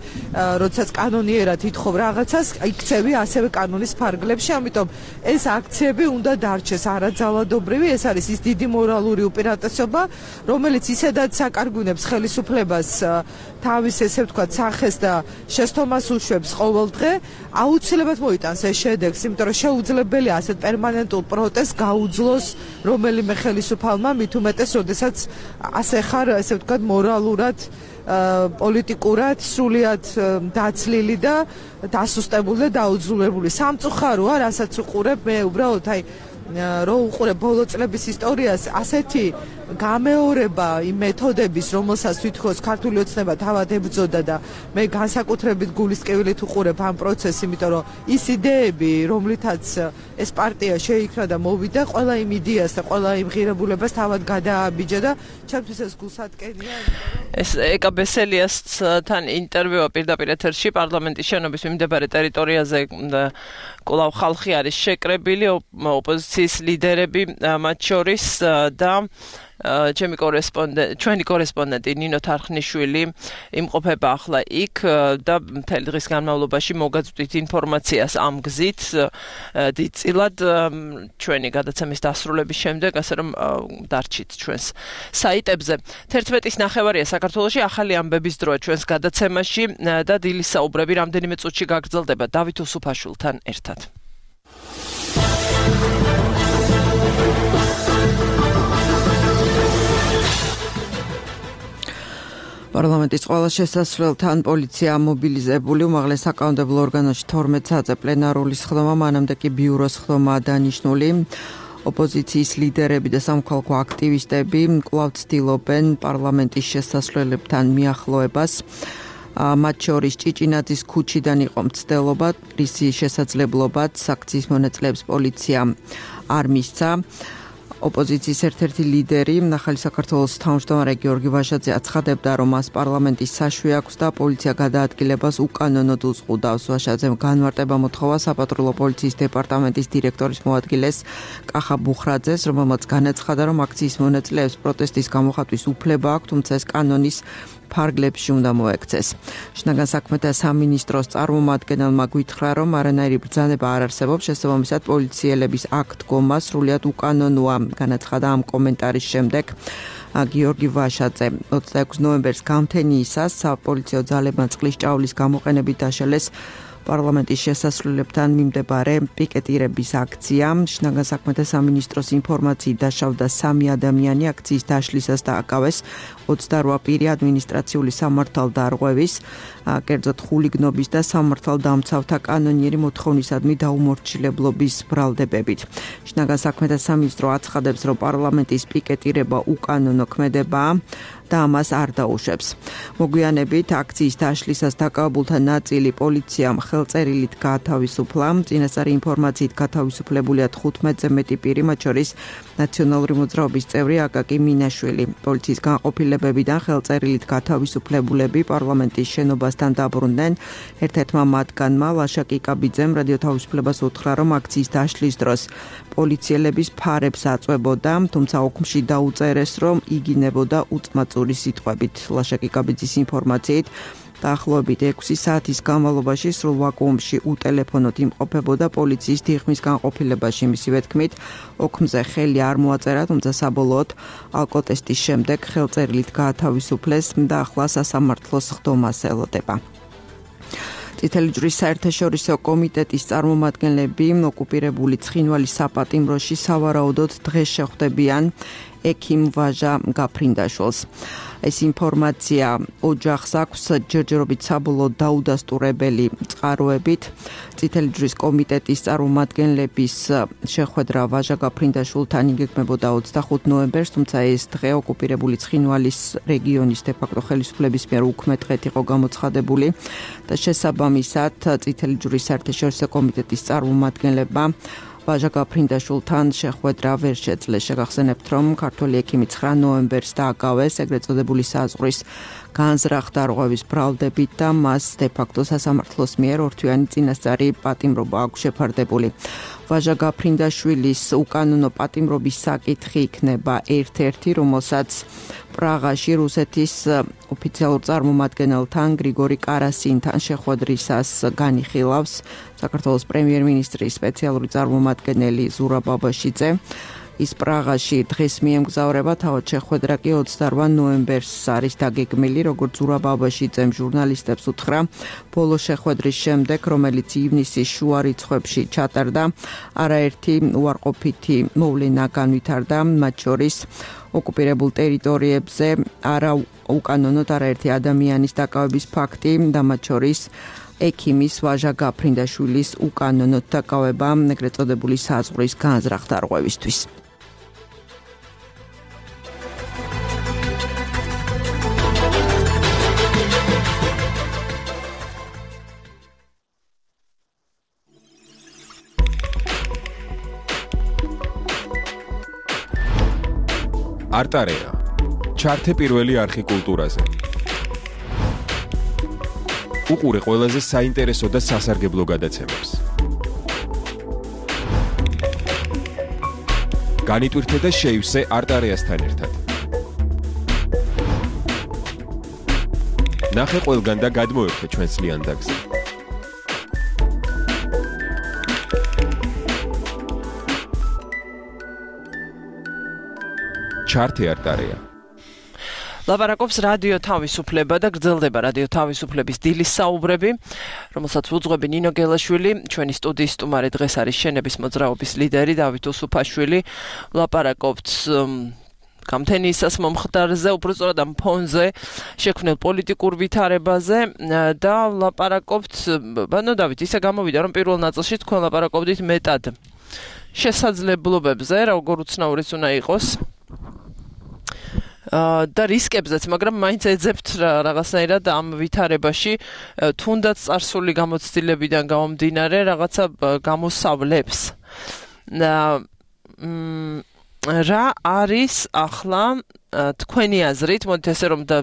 როდესაც კანონიერად ითხოვ რაღაცას, იქცევი ასევე კანონის ფარგლებში, ამიტომ ეს აქციები უნდა დარჩეს არაძალადობრივი, ეს არის ის დიდი მორალური უპირატესობა, რომელიც ისედაც აკარგვინებს ხელისუფლებას თავის ესე ვთქვათ სახეს და შესთომას უშვებს ყოველდღე, აუცილებლად მოიტანს ეს შედეგს, იმიტომ რომ შეუძლებელია ასეთ პერმანენტულ პროტესტს გაუძლოს რომელიმე ხელისუფალმა, მით უმეტეს, როდესაც ასე ხარ, ესე ვთქვათ, მორალურად, პოლიტიკურად სრულიად დაცლილი და დასუსტებული და დაუძლურებული. სამწუხაროა, რასაც უყურებ, მე უბრალოდ აი რო უყურებ ბოლო წლების ისტორიას, ასეთი გამეორება იმ მეთოდების, რომელსაც თვითონ ქართული ოცნება თავად ებრძოდა და მე განსაკუთრებით გულისკევილით უყურებ ამ პროცესს, იმიტომ რომ ის იდეები, რომლითაც ეს პარტია შეიქმნა და მოვიდა, ყველა იმ იდეას და ყველა იმ ღირებულებას თავად გადააბიჯა და ჩემთვის ეს გულსატკენია. ეს ეკა ბესელიასთან ინტერვიუ პირდაპირ ეთერში პარლამენტის შენობის მიმდებარე ტერიტორიაზე კვლავ ხალხი არის შეკრებილი, ოპოზიციის ლიდერები მათ შორის და ჩემი კორესპონდენტი, ჩვენი კორესპონდენტი ნინო თარხნიშვილი იმყოფება ახლა იქ და მთელი დღის განმავლობაში მოგაწვდით ინფორმაციას ამ გზით დიდწილად ჩვენი გადაცემის დასრულების შემდეგ, ასე რომ დარჩით ჩვენს საიტებზე. თერთმეტის ნახევარია საქართველოში ახალი ამბების დროა ჩვენს გადაცემაში და დილის საუბრები რამდენიმე წუთში გაგრძელდება დავით უსუფაშვილთან ერთად. პარლამენტის ყველა შესასვლელთან პოლიცია მობილიზებული, უმაღლეს საკანონმდებლო ორგანოში თორმეტ საათზე პლენარული სხდომა, მანამდე კი ბიუროს სხდომაა დანიშნული. ოპოზიციის ლიდერები და სამოქალაქო აქტივისტები კვლავ ცდილობენ პარლამენტის შესასვლელებთან მიახლოებას. მათ შორის ჭიჭინაძის ქუჩიდან იყო მცდელობა, რისი შესაძლებლობაც აქციის მონაწილეებს პოლიცია არ მისცა. ოპოზიციის ერთ-ერთი ლიდერი, ახალი საქართველოს თავმჯდომარე გიორგი ვაშაძე აცხადებდა, რომ მას პარლამენტის საშვი აქვს და პოლიცია გადაადგილებას უკანონოდ უზღუდავს. ვაშაძემ განმარტება მოთხოვა საპატრულო პოლიციის დეპარტამენტის დირექტორის მოადგილეს კახა ბუხრაძეს, რომელმაც განაცხადა, რომ აქციის მონაწილეებს პროტესტის გამოხატვის უფლება აქვს, თუმცა ეს კანონის ფარგლებში უნდა მოექცეს. შინაგან საქმეთა სამინისტროს წარმომადგენელმა გვითხრა, რომ არანაირი ბრძანება არ არსებობს, შესაბამისად პოლიციელების აქ დგომა სრულიად უკანონოა. განაცხადა ამ კომენტარის შემდეგ გიორგი ვაშაძე. ოცდაექვსი ნოემბერს გამთენიისას საპოლიციო ძალებმა წყლის ჭაულის გამოყენებით დაშალეს პარლამენტის შესასვლელებთან მიმდებარე პიკეტირების აქცია. შინაგან საქმეთა სამინისტროს ინფორმაციით დაშავდა სამი ადამიანი აქციის დაშლისას და აკავეს ოცდარვა პირი ადმინისტრაციული სამართალდარღვევის, კერძოდ ხულიგნობის და სამართალდამცავთა კანონიერი მოთხოვნისადმი დაუმორჩილებლობის ბრალდებებით. შინაგან საქმეთა სამინისტრო აცხადებს, რომ პარლამენტის პიკეტირება უკანონო ქმედებაა და ამას არ დაუშვებს. მოგვიანებით აქციის დაშლისას დაკავებულთა ნაწილი პოლიციამ ხელწერილით გაათავისუფლა. წინასწარი ინფორმაციით გათავისუფლებულია თხუთმეტზე მეტი პირი, მათ შორის ნაციონალური მოძრაობის წევრი აკაკი მინაშვილი. პოლიციის განყოფილებებიდან ხელწერილით გათავისუფლებულები პარლამენტის შენობასთან დაბრუნდნენ. ერთ-ერთმა მათგანმა ლაშა კიკაბიძემ რადიო თავისუფლებას უთხრა, რომ აქციის დაშლის დროს პოლიციელების ფარებს აწვებოდა, თუმცა ოქმში დაუწერეს, რომ იგინებოდა უწმაწური სიტყვებით. ლაშა კიკაბიძის ინფორმაციით დაახლოებით ექვსი საათის განმავლობაში სრულ ვაკუუმში უტელეფონოდ იმყოფებოდა პოლიციის დიღმის განყოფილებაში. მისივე თქმით, ოქმზე ხელი არ მოაწერა, თუმცა საბოლოოდ ალკოტესტის შემდეგ ხელწერილით გაათავისუფლეს და ახლა სასამართლოს სხდომას ელოდება. წითელი ჯვრის საერთაშორისო კომიტეტის წარმომადგენლები ოკუპირებული ცხინვალის საპატიმროში სავარაუდოდ დღეს შეხვდებიან ექიმ ვაჟა გაფრინდაშვილს. ეს ინფორმაცია ოჯახს აქვს ჯერჯერობით საბოლოოდ დაუდასტურებელი წყაროებით. წითელი ჯვრის კომიტეტის წარმომადგენლების შეხვედრა ვაჟა გაფრინდაშვილთან იგეგმებოდა ოცდახუთი ნოემბერს, თუმცა ეს დღე ოკუპირებული ცხინვალის რეგიონის დე-ფაქტო ხელისუფლების მიერ უქმე დღედ იყო გამოცხადებული და შესაბამისად წითელი ჯვრის საერთაშორისო კომიტეტის წარმომადგენლებმა ვაჟა გაფრინდაშვილთან შეხვედრა ვერ შეძლეს. შეგახსენებთ, რომ ქართველი ექიმი ცხრა ნოემბერს დააკავეს ეგრეთ წოდებული საზღვრის განზრახ დარღვევის ბრალდებით და მას დე-ფაქტო სასამართლოს მიერ ორთვიანი წინასწარი პატიმრობა აქვს შეფარდებული. ვაჟა გაფრინდაშვილის უკანონო პატიმრობის საკითხი იქნება ერთ-ერთი, რომელსაც პრაღაში რუსეთის ოფიციალურ წარმომადგენელთან გრიგორი კარასინთან შეხვედრისას განიხილავს საქართველოს პრემიერ-მინისტრის სპეციალური წარმომადგენელი ზურაბ ბაბაშიძე. ის პრაღაში დღეს მიემგზავრება, თავად შეხვედრა კი ოცდაოთხ ნოემბერს არის დაგეგმილი, როგორც ზურაბ ბაბაშიძემ ჟურნალისტებს უთხრა ბოლო შეხვედრის შემდეგ, რომელიც ივნისის შუა რიცხვებში ჩატარდა, არაერთი უარყოფითი მოვლენა განვითარდა, მათ შორის ოკუპირებულ ტერიტორიებზე არა უკანონოდ არაერთი ადამიანის დაკავების ფაქტი და მათ შორის ექიმის ვაჟა გაფრინდაშვილის უკანონოდ დაკავება ეგრეთ წოდებული საზღვრის განზრახ დარღვევისთვის. არტარეა. ჩართე პირველი არხი კულტურაზე. უყურე ყველაზე საინტერესო და სასარგებლო გადაცემებს. განიტვირთე და შეივსე არტარეასთან ერთად. ნახე ყველგან და გადმოერთე ჩვენს ლიანდაგზე. ჩართე არტარეა. ლაპარაკობს რადიო თავისუფლება და გრძელდება რადიო თავისუფლების დილის საუბრები, რომელსაც უძღვები ნინო გელაშვილი, ჩვენი სტუდიის სტუმარი დღეს არის შენების მოძრაობის ლიდერი დავით უსუფაშვილი. ლაპარაკობთ გამთენიისას მომხდარზე, უბრალოდ ამ ფონზე შექმნილ პოლიტიკურ ვითარებაზე და ლაპარაკობთ, ბანო დავით, ისე გამოვიდა, რომ პირველ ნაწილში თქვენ ლაპარაკობდით მეტად შესაძლებლობებზე, როგორ უცნაურიც უნდა იყოს. და რისკებზეც, მაგრამ მაინც ეძებთ რაღაცნაირად ამ ვითარებაში თუნდაც წარსული გამოცდილებიდან გამომდინარე რაღაცა გამოსავლებს. რა არის ახლა თქვენი აზრით, მოდით ესე რომ და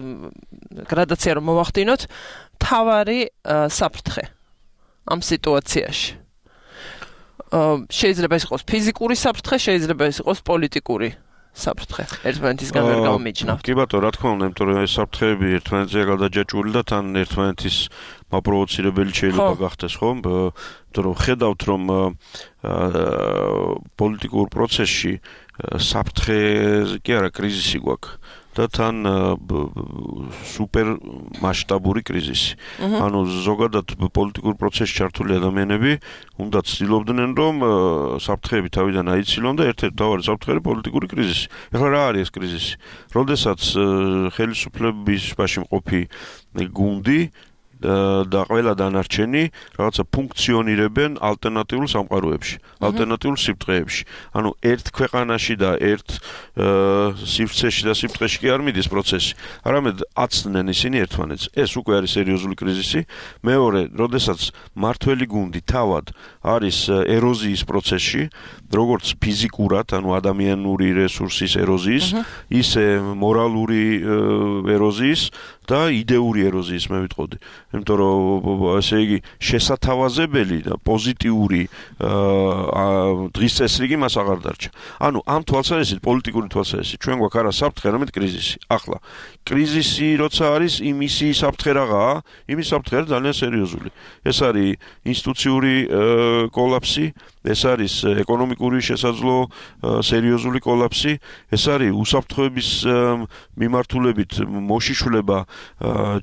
გრადაცია რომ მოვახდინოთ, თავარი საფრთხე ამ სიტუაციაში. შეიძლება ეს იყოს ფიზიკური საფრთხე, შეიძლება ეს იყოს პოლიტიკური საფრთხე. ერთმანეთისგან ვერ გამომიჯნავთ. კი ბატონო, რა თქმა უნდა, იმიტომ რომ ეს საფრთხეები ერთმანეთზე გადაჯაჭვული და თან ერთმანეთის მაპროვოცირებელი შეიძლება გახდეს, ხო? იმიტომ რომ ხედავთ, რომ პოლიტიკურ პროცესში საფრთხე კი არა, კრიზისი გვაქვს. და თან სუპერ მასშტაბური კრიზისი. ანუ ზოგადად პოლიტიკურ პროცესში ჩართული ადამიანები უნდა ცდილობდნენ, რომ საფრთხეები თავიდან აიცილონ და ერთ-ერთი მთავარი საფრთხე პოლიტიკური კრიზისი. ეხლა რა არის ეს კრიზისი? როდესაც ხელისუფლების ბაში მყოფი გუნდი და ყველა დანარჩენი რაღაცა ფუნქციონირებენ ალტერნატიულ სამყაროებში, ალტერნატიულ სიფრთხეებში. ანუ ერთ ქვეყანაში და ერთ სივრცეში და სიფრთხეში კი არ მიდის პროცესი, არამედ აცდნენ ისინი ერთმანეთს. ეს უკვე არის სერიოზული კრიზისი. მეორე, როდესაც მართველი გუნდი თავად არის ეროზიის პროცესში, როგორც ფიზიკურად, ანუ ადამიანური რესურსის ეროზიის, ისე მორალური ეროზიის და იდეური ეროზიის მე ვიტყოდი. იმიტომ რომ ესე იგი შესათავაზებელი და პოზიტიური დღის წესრიგი მას აღარ დარჩა. ანუ ამ თვალსაზრისით, პოლიტიკური თვალსაზრისით, ჩვენ გვაქვს არა საფრთხე, არამედ კრიზისი. ახლა კრიზისი როცა არის, იმისი საფრთხე რაღაცა, იმის საფრთხე არის ძალიან სერიოზული. ეს არის ინსტიტუციური კოლაფსი, ეს არის ეკონომიკური შესაძლო სერიოზული კოლაფსი, ეს არის უსაფრთხოების მიმართულებით მოშიშვლება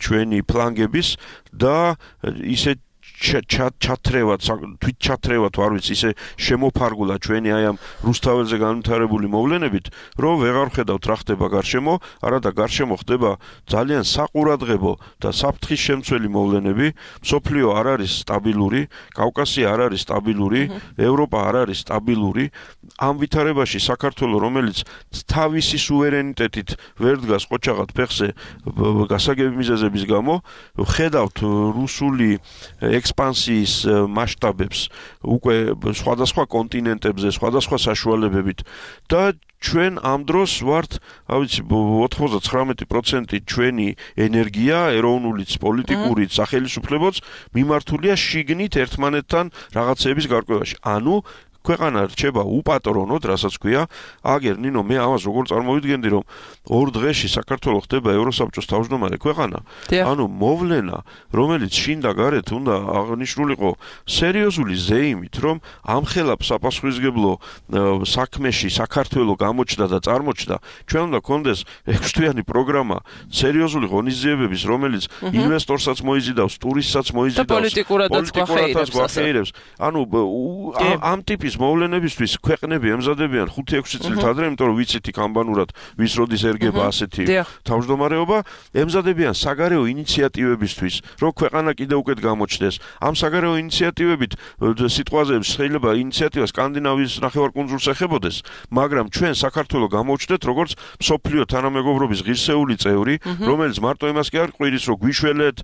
ჩვენი ფლანგების და ისე ჩათრევად, თვით ჩათრევად, არ ვიცი, ისე შემოფარგულა ჩვენი აი ამ რუსთაველზე განვითარებული მოვლენებით, რომ ვეღარ ხედავთ რა ხდება გარშემო, არადა გარშემო ხდება ძალიან საყურადღებო და საფრთხის შემცველი მოვლენები, მსოფლიო არ არის სტაბილური, კავკასია არ არის სტაბილური, ევროპა არ არის სტაბილური. ამ ვითარებაში საქართველოს, რომელიც თავისი სუვერენიტეტით ვერ დგას ყოჩაღად ფეხზე გასაგები მიზეზების გამო, ხედავთ რუსული ექსპანსიის მასშტაბებს უკვე სხვადასხვა კონტინენტებზე, სხვადასხვა საშუალებებით და ჩვენ ამ დროს ვართ, ავიცი ოთხმოცდათვრამეტი პროცენტი ჩვენი ენერგია, ეროვნულიც, პოლიტიკურიც, სახელმწიფოებიც მიმართულია შიგნით ერთმანეთთან რაღაცების გარკვევაში. ანუ ქვეყანა რჩება უპატრონოდ, რასაც ქვია, აგერ ნინო მე ამას როგორ წარმოვიდგენდი, რომ ორ დღეში საქართველოს ხდება ევროსაბჭოს თავმჯდომარე ქვეყანა. ანუ მოვლენა, რომელიც შინ და გარეთ უნდა აღნიშნულიყო სერიოზული ზეიმით, რომ ამხელაფ საპასუხისმგებლო საქმეში საქართველოს გამოჩნდა და წარმოჩნდა, ჩვენ უნდა გქონდეს ექვსთვიანი პროგრამა, სერიოზული ღონისძიებების, რომელიც ინვესტორსაც მოიზიდავს, ტურისტსაც მოიზიდავს, პოლიტიკურადაც გვახეირებს. ანუ ამ ტიპის მოვლენებისთვის ქვეყნები ემზადებიან ხუთი ექვსი წლით ადრე, იმიტომ რომ ვიცით იქ ამბანურად ვის როდის ერგება ასეთი თავმჯდომარეობა, ემზადებიან საგარეო ინიციატივებისთვის, რომ ქვეყანა კიდევ უკეთ გამოჩნდეს. ამ საგარეო ინიციატივებით სიტყვაზე შეიძლება ინიციატივა სკანდინავიის ნახევარკუნძულს ეხებოდეს, მაგრამ ჩვენ საქართველოს გამოვჩნდეთ როგორც მსოფლიო თანამეგობრობის ღირსეული წევრი, რომელიც მარტო იმას კი არ ყვირის, რომ გვიშველეთ,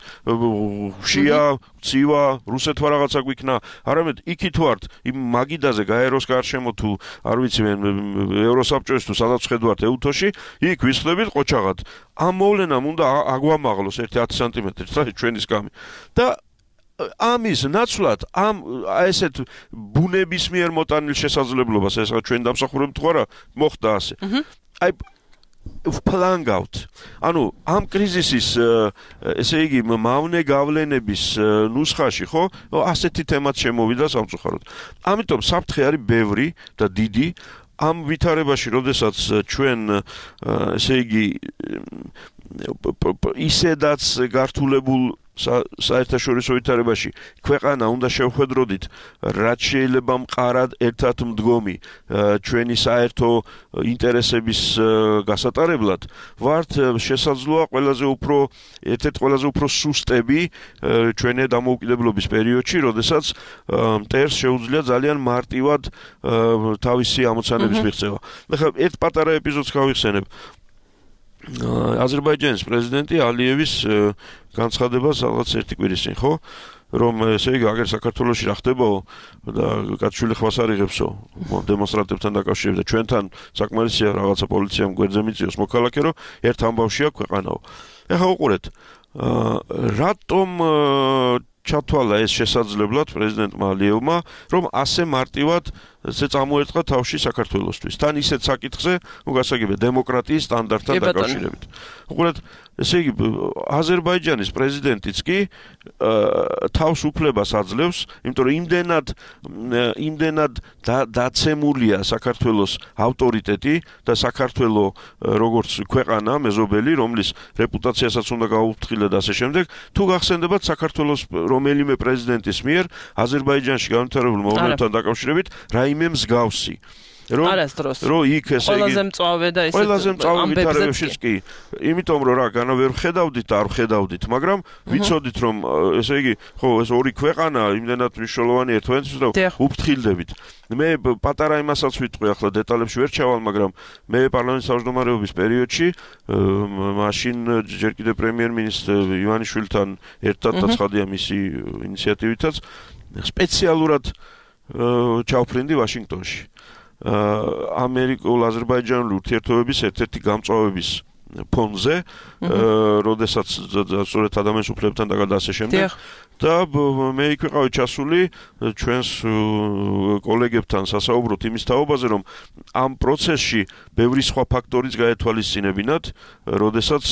შია, ცივა, რუსეთმა რაღაცა გვიქნა, არამედ იქით ვართ იმ მაგიდაზე გაეროს გარშემო თუ არ ვიცი მე ევროსაბჭოს თუ სადაც ხედავთ ეუთოში, იქ ვისხდებით ყოჩაღად. ამ მოვლენამ უნდა აგვამაღლოს ერთი ათი სანტიმეტრი და ჩვენი სკამი. და ამის ნაცვლად ამ ესეთ ბუნების მიერ მოტანილ შესაძლებლობას, ეს ჩვენ დამსახურებთ თუ არა, მოხდა ასე. აი ვფლანგავთ. ანუ ამ კრიზისის ესე იგი მავნე გავლენების ნუსხაში, ხო? ასეთი თემაც შემოვიდა სამწუხაროდ. ამიტომ საფრთხე არის ბევრი და დიდი. ამ ვითარებაში, როდესაც ჩვენ ესე იგი ისედაც გართულებულ საერთაშორისო ვითარებაში ქვეყანა უნდა შევხედროდით, რაც შეიძლება მყარად ერთად მდგომი ჩვენი საერთო ინტერესების გასატარებლად, ვართ შესაძლოა ყველაზე უფრო ერთ-ერთ ყველაზე უფრო სუსტები ჩვენი დამოუკიდებლობის პერიოდში, როდესაც მტერს შეუძლია ძალიან მარტივად თავისი ამოცანების მიღწევა. ახლა ერთ პატარა ეპიზოდს გავიხსენებ. აზერბაიჯანის პრეზიდენტი ალიევის განცხადებას რაღაც ერთი კვირის წინ, ხო? რომ ესე იგი აგერ საქართველოში რა ხდებაო და კაცშვილი ხვას არ იღებსო დემონსტრანტებთან დაკავშირებით და ჩვენთან საკმარისია რაღაცა პოლიციამ გვერდზე მიწიოს მოქალაქე, რომ ერთ ამბავშია ქვეყანაო. ეხლა უყურეთ, რატომ ჩათვალა ეს შესაძლებლად პრეზიდენტმა ალიევმა, რომ ასე მარტივად ესე წამოერტყა თავში საქართველოსთვის. თან ისეთ საკითხზე, ну გასაგებია დემოკრატიის სტანდარტთან დაკავშირებით. უყურეთ, ესე იგი აზერბაიჯანის პრეზიდენტიც კი თავს უფლებას აძლევს, იმიტომ რომ იმდენად იმდენად დაცემულია საქართველოს ავტორიტეტი და საქართველოს როგორც ქვეყანა მეზობელი, რომლის რეპუტაციასაც უნდა გაუფრთხილდა და ასე შემდეგ, თუ გახსენდებათ საქართველოს რომელიმე პრეზიდენტის მიერ აზერბაიჯანში განვითარებულ მოვლენებთან დაკავშირებით რაიმე მსგავსი. რომ რომ იქ ესე იგი ყველაზე მწვავე და ისე ყველაზე მწვავე ვითარებებშიც კი, იმიტომ რომ რა განა ვერ ხედავდით და არ ხედავდით, მაგრამ ვიცოდით რომ ესე იგი ხო ეს ორი ქვეყანა იმდენად მნიშვნელოვანი ერთმანეთს და უფრთხილდებით. მე პატარა იმასაც ვიტყვი, ახლა დეტალებში ვერ ჩავალ, მაგრამ მე პარლამენტის თავმჯდომარეობის პერიოდში მაშინ ჯერ კიდევ პრემიერ-მინისტრ ივანიშვილთან ერთად და ცხადია მისი ინიციატივითაც სპეციალურად ჩავფრინდი ვაშინგტონში. ამერიკულ-აზერბაიჯანული ურთიერთობების ერთ-ერთი გამწვავების ფონზე, როდესაც სწორედ ადამიანის უფლებებთან და ასე შემდეგ. და მე იქ ვიყავი ჩასული ჩვენს კოლეგებთან სასაუბროთ იმის თაობაზე, რომ ამ პროცესში ბევრი სხვა ფაქტორიც გაეთვალისწინებინათ, როდესაც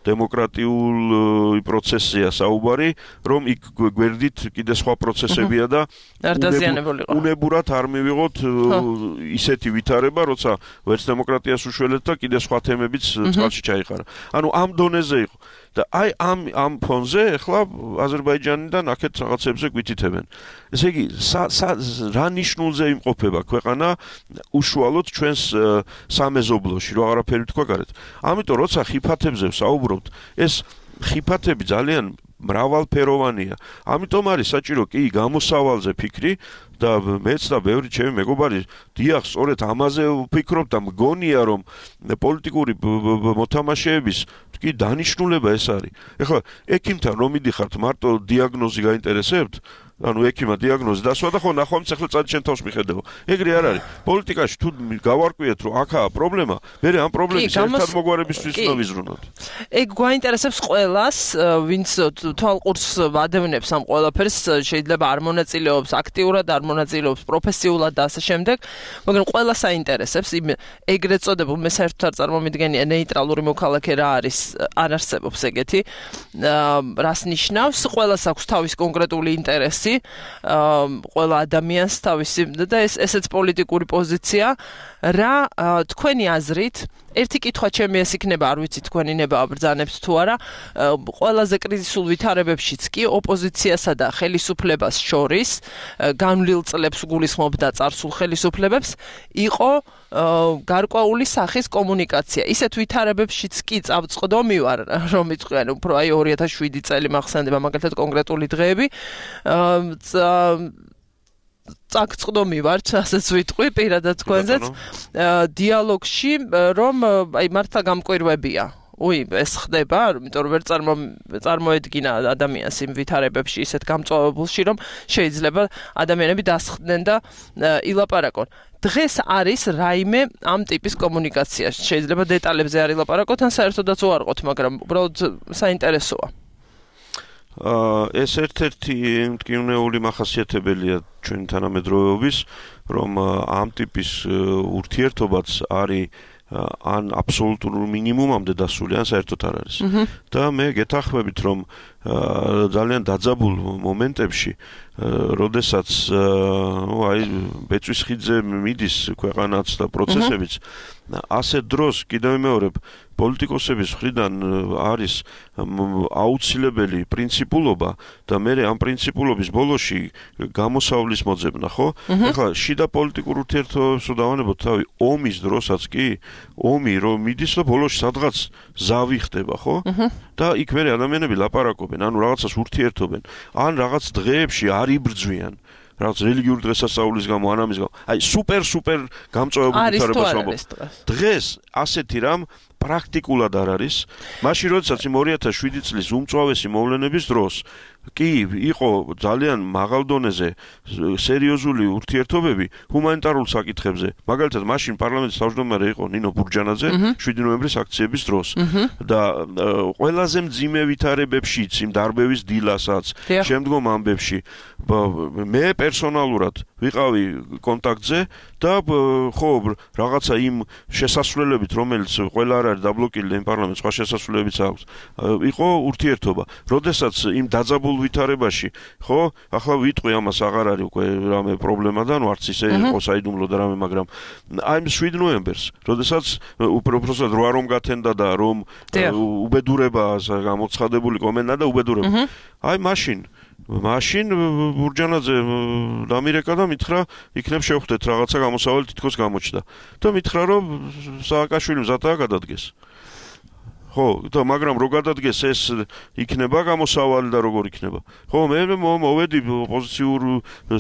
დემოკრატიული პროცესია საუბარი, რომ იქ გვერდით კიდე სხვა პროცესებია და უნებურად არ მივიღოთ ისეთი ვითარება, როცა ვერც დემოკრატიას უშველეთ და კიდე სხვა თემებიც წყალში ჩაიყარა. ანუ ამ დონეზე იყო. და აი ამ ამ ფონზე ახლა აზერბაიჯანიდან აქეთ რაღაცებზე გვითითებენ. ესე იგი, რა ნიშნულზე იმყოფება ქვეყანა უშუალოდ ჩვენს სამეზობლოში, რო აღარაფერი თქვა გარეთ. ამიტომ როცა ხიფათებზე ვსაუბრობთ, ეს ხიფათები ძალიან მრავალფეროვანია. ამიტომ არის საჭირო კი გამოსავალზე ფიქრი და მეც და ბევრი ჩემი მეგობარი დიახ, სწორედ ამაზე ვფიქრობ და მგონია, რომ პოლიტიკური მოთამაშეების კი დანიშნულება ეს არის. ეხლა ექიმთან რომ მიდიხართ მარტო დიაგნოზი გაინტერესებთ, ანუ ექიმა დიაგნოზი დასვა და ხო ნახვამდის ახლა წადი შენ თავს მიხედავ. ეგრე არ არის. პოლიტიკაში თუ გავარკვიეთ რომ აქაა პრობლემა, მე ამ პრობლემის ერთად მოგვარებისთვის უნდა ვიზრუნოთ. ეგ გვაინტერესებს ყველას, ვინც თვალყურს ადევნებს ამ ყველაფერს, შეიძლება არ მონაწილეობს აქტიურად, არ მონაწილეობს პროფესიულად და ასე შემდეგ, მაგრამ ყველას აინტერესებს იმ ეგრეთ წოდებულ მე საერთოდ არ წარმომიდგენია ნეიტრალური მოქალაქე რა არის, არ არსებობს ეგეთი. რას ნიშნავს? ყველას აქვს თავის კონკრეტული ინტერესი. ყველა ადამიანს თავისი და ეს ესეც პოლიტიკური პოზიცია რა თქვენი აზრით ერთი კითხვა ჩემი ეს იქნება არ ვიცი თქვენი ნება აბრძანებთ თუ არა ყველაზე კრიზისულ ვითარებებშიც კი ოპოზიციასა და ხელისუფლებას შორის განვლილ წლებს გულისხმობდა წარსულ ხელისუფლებებს იყო გარკვეული სახის კომუნიკაცია ისეთ ვითარებებშიც კი წავწყდომი ვარ რომ იტყვიან უფრო აი ორი ათას შვიდი წელი მახსენდება მაგალითად კონკრეტული დღეები წაგწყდომი ვარ, ასეც ვიტყვი პირადად თქვენზეც დიალოგში, რომ აი მართლა გამკვირვებია. უი, ეს ხდება, იმიტომ რომ ვერ წარმოედგინა ადამიანს იმ ვითარებებში ისეთ გამწვავებულში, რომ შეიძლება ადამიანები დასხდნენ და ილაპარაკონ. დღეს არის რაიმე ამ ტიპის კომუნიკაცია. შეიძლება დეტალებზე არ ილაპარაკოთ, ან საერთოდაც უარყოთ, მაგრამ უბრალოდ საინტერესოა. ეს ერთ-ერთი მტკივნეული მახასიათებელია ჩვენი თანამედროვეობის, რომ ამ ტიპის ურთიერთობაც არის ან აბსოლუტურ მინიმუმამდე დასული, ან საერთოდ არ არის. და მე გეთანხმებით, რომ ძალიან დაძაბულ მომენტებში, როდესაც აი ბეწვის ხიდზე მიდის ქვეყანაც და პროცესებიც, ასე დროს კიდევ ვიმეორებ, პოლიტიკოსების მხრიდან არის აუცილებელი პრინციპულობა და მე ამ პრინციპულობის ბოლოში გამოსავლის მოძებნა, ხო? ეხლა შიდა პოლიტიკურ ურთიერთობებს დავანებოთ თავი ომის დროსაც კი, ომი რომ მიდის და ბოლოში სადღაც ზავი ხდება, ხო? და იქ მე ადამიანები ლაპარაკობენ, ანუ რაღაცას ურთიერთობენ, ან რაღაც დღეებში არ იბრძვიან. რაღაც რელიგიური დღესასწაულის გამო, ან ამის გამო. აი სუპერ სუპერ გამწვავებული ვითარებას ვამბობ. დღეს ასეთი რამ პრაქტიკულად არ არის. მაშინ როდესაც იმ ორი ათას შვიდი წლის უმწვავესი მოვლენების დროს კი იყო ძალიან მაღალ დონეზე სერიოზული ურთიერთობები ჰუმანიტარულ საკითხებზე. მაგალითად, მაშინ პარლამენტის თავმჯდომარე იყო ნინო ბურჯანაძე შვიდი ნოემბრის აქციების დროს და ყველაზე მძიმე ვითარებებშიც, იმ დარბევის დილასაც, შემდგომ ამბებში მე პერსონალურად ვიყავი კონტაქტზე და ხო რაღაცა იმ შესასვლელებით, რომელიც ყველა არ არის დაბლოკილი იმ პარლამენტს, სხვა შესასვლელებიც აქვს, იყო ურთიერთობა. როდესაც იმ დაძაბულ ვითარებაში, ხო, ახლა ვიტყვი ამას აღარ არის უკვე რამე პრობლემა და ნუ არც ისე იყო საიდუმლო და რამე, მაგრამ აი შვიდი ნოემბერს, როდესაც უბრალოდ რა რომ გათენდა და რომ უბედურებაა გამოცხადებული კომენტა და უბედურება. აი მაშინ მაშინ ბურჯანაძე დამირეკა და მითხრა, იქნებ შევხვდეთ რაღაცა გამოსავალი თითქოს გამოჩნდა. და მითხრა, რომ სააკაშვილი მზადაა გადადგეს. ხო, და მაგრამ რო გადადგეს ეს იქნება გამოსავალი და როგორ იქნება. ხო, მე მოვედი ოპოზიციურ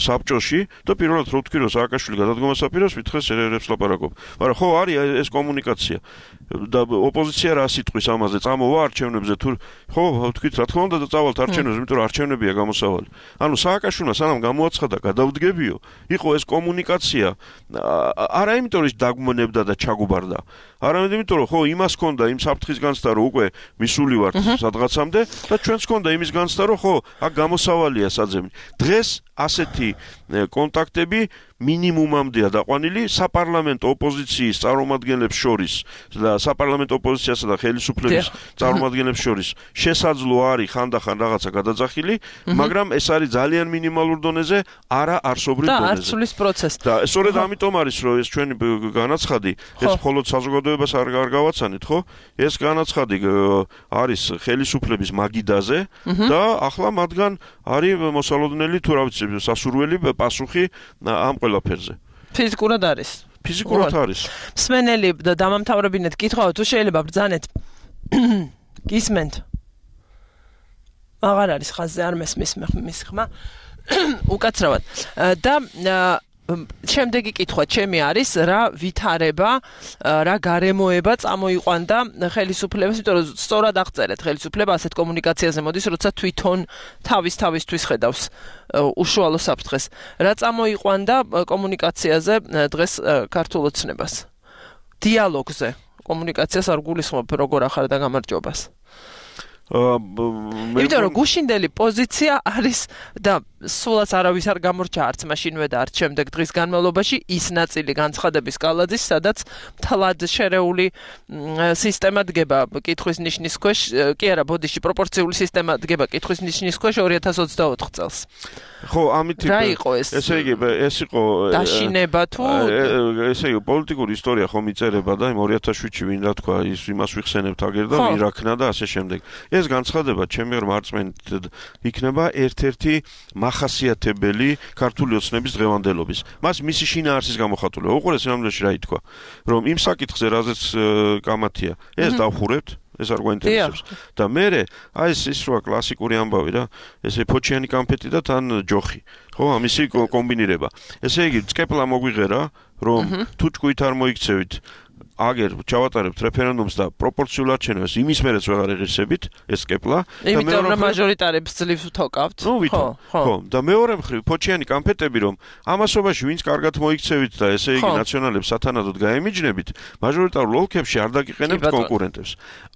საბჭოში და პირველად რო ვთქვი, რომ სააკაშვილი გადადგომას აპირებს, მითხრა სერერებს ლაპარაკობ. მაგრამ ხო, არის ეს კომუნიკაცია. და ოპოზიცია რა სიტყვის ამაზე წამოვა არჩევნებზე თუ ხო ვთქვით რა თქმა უნდა და წავალთ არჩევნებზე, იმიტომ რომ არჩევნებია გამოსავალი. ანუ სააკაშვილმა სანამ გამოაცხადა გადავდგებიო, იყო ეს კომუნიკაცია არა იმიტომ რომ დაგმონებდა და ჩაგუბარდა. არამედ იმიტომ რომ ხო იმას ჰქონდა იმ საფრთხის განცდა რომ უკვე მისული ვართ სადღაცამდე და ჩვენც ჰქონდა იმის განცდა რომ ხო აქ გამოსავალია საძებნი. დღეს ასეთი კონტაქტები მინიმუმამდეა დაყვანილი საპარლამენტო ოპოზიციის წარმომადგენლებს შორის და საპარლამენტო ოპოზიციასა და ხელისუფლების წარმომადგენლებს შორის შესაძლო არის ხანდახან რაღაცა გადაძახილი, მაგრამ ეს არის ძალიან მინიმალურ დონეზე, არა არსობრივ დონეზე. და არცulis პროცესი. და სწორედ ამიტომ არის რომ ეს ჩვენი განაცხადი, ეს მხოლოდ საზოგადოებას არ გავაცანით, ხო? ეს განაცხადი არის ხელისუფლების მაგიდაზე და ახლა მათგან არის მოსალოდნელი თუ რა ვიცი სასურველი პასუხი ამ ყველაფერზე. ფიზიკურად არის. ფიზიკურად არის. მსმენელი და დამამთავრებინეთ კითხვა, თუ შეიძლება ბრძანეთ. გისმენთ. აღარ არის ხაზზე, არ მესმის მის ხმა. უკაცრავად. და შემდეგი კითხვა ჩემი არის რა ვითარება, რა გარემოება წამოიყვანდა ხელისუფლებას, იმიტომ რომ სწორად აღწერეთ ხელისუფლება ასეთ კომუნიკაციაზე მოდის, როცა თვითონ თავის თავისთვის ხედავს უშუალო საფრთხეს. რა წამოიყვანდა კომუნიკაციაზე დღეს ქართულ ოცნებას? დიალოგზე. კომუნიკაციას არ გულისხმობ როგორ ახარ და გამარჯვებას. იმიტომ რომ გუშინდელი პოზიცია არის და სულაც არავის არ გამორჩა არც მაშინვე და არც შემდეგ დღის განმავლობაში ის ნაწილი განცხადების კალაძის, სადაც თლად შერეული სისტემა დგება კითხვის ნიშნის ქვეშ, კი არა, ბოდიში პროპორციული სისტემა დგება კითხვის ნიშნის ქვეშ ორი ათას ოცდაოთხ წელს. ხო, ამით რა იყო ეს? ესე იგი, ეს იყო დაშინება თუ ესე იგი, პოლიტიკური ისტორია ხომ იწერება და იმ ორი ათას შვიდში ვინ რა თქვა, ის იმას ვიხსენებთ აგერ და ვინ რა ქნა და ასე შემდეგ. ეს განცხადება ჩემი მარწმენით იქნება ერთ-ერთი მახასიათებელი ქართული ოცნების დღევანდელობის. მას მისი შინაარსის გამოხატულება. უყურე სინამდვილეში რა ითქვა, რომ იმ საკითხზე რაზეც კამათია, ეს დავხურებთ, ეს არ გვაინტერესებს. და მერე აი ეს ის რა კლასიკური ამბავი რა, ესე ფოჩიანი კამფეტი და თან ჯოხი. ხო, ამისი კომბინირება. ესე იგი, წკეპლა მოგვიღერა, რომ თუ ჭკუით არ მოიქცევით აგერ ჩავატარებთ რეფერენდუმს და პროპორციულ არჩევნებს იმის მერეც ვეღარ ეღირსებით ეს კეპლა და იმიტომ რომ მაჟორიტარებს ძლივს ვთოკავთ ხო ხო და მეორე მხრივ ფოჩიანი კამფეტები რომ ამასობაში ვინც კარგად მოიქცევით და ესე იგი ნაციონალებს სათანადოდ გაემიჯნებით მაჟორიტარულ ოლქებში არ დაგიყენებთ კონკურენტებს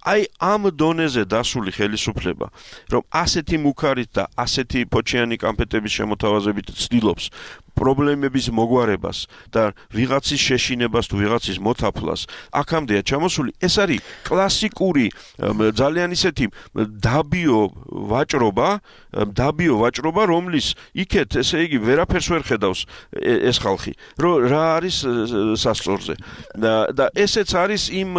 აი ამ დონეზე დასული ხელისუფლება რომ ასეთი მუქარით და ასეთი ფოჩიანი კამფეტების შემოთავაზებით ცდილობს პრობლემების მოგვარებას და ვიღაცის შეშინებას თუ ვიღაცის მოთაფლას აქამდეა ჩამოსული ეს არის კლასიკური ძალიან ისეთი დაბიო ვაჭრობა დაბიო ვაჭრობა რომლის იქეთ ესე იგი ვერაფერს ვერ ხედავს ეს ხალხი რომ რა არის სასწორზე და და ესეც არის იმ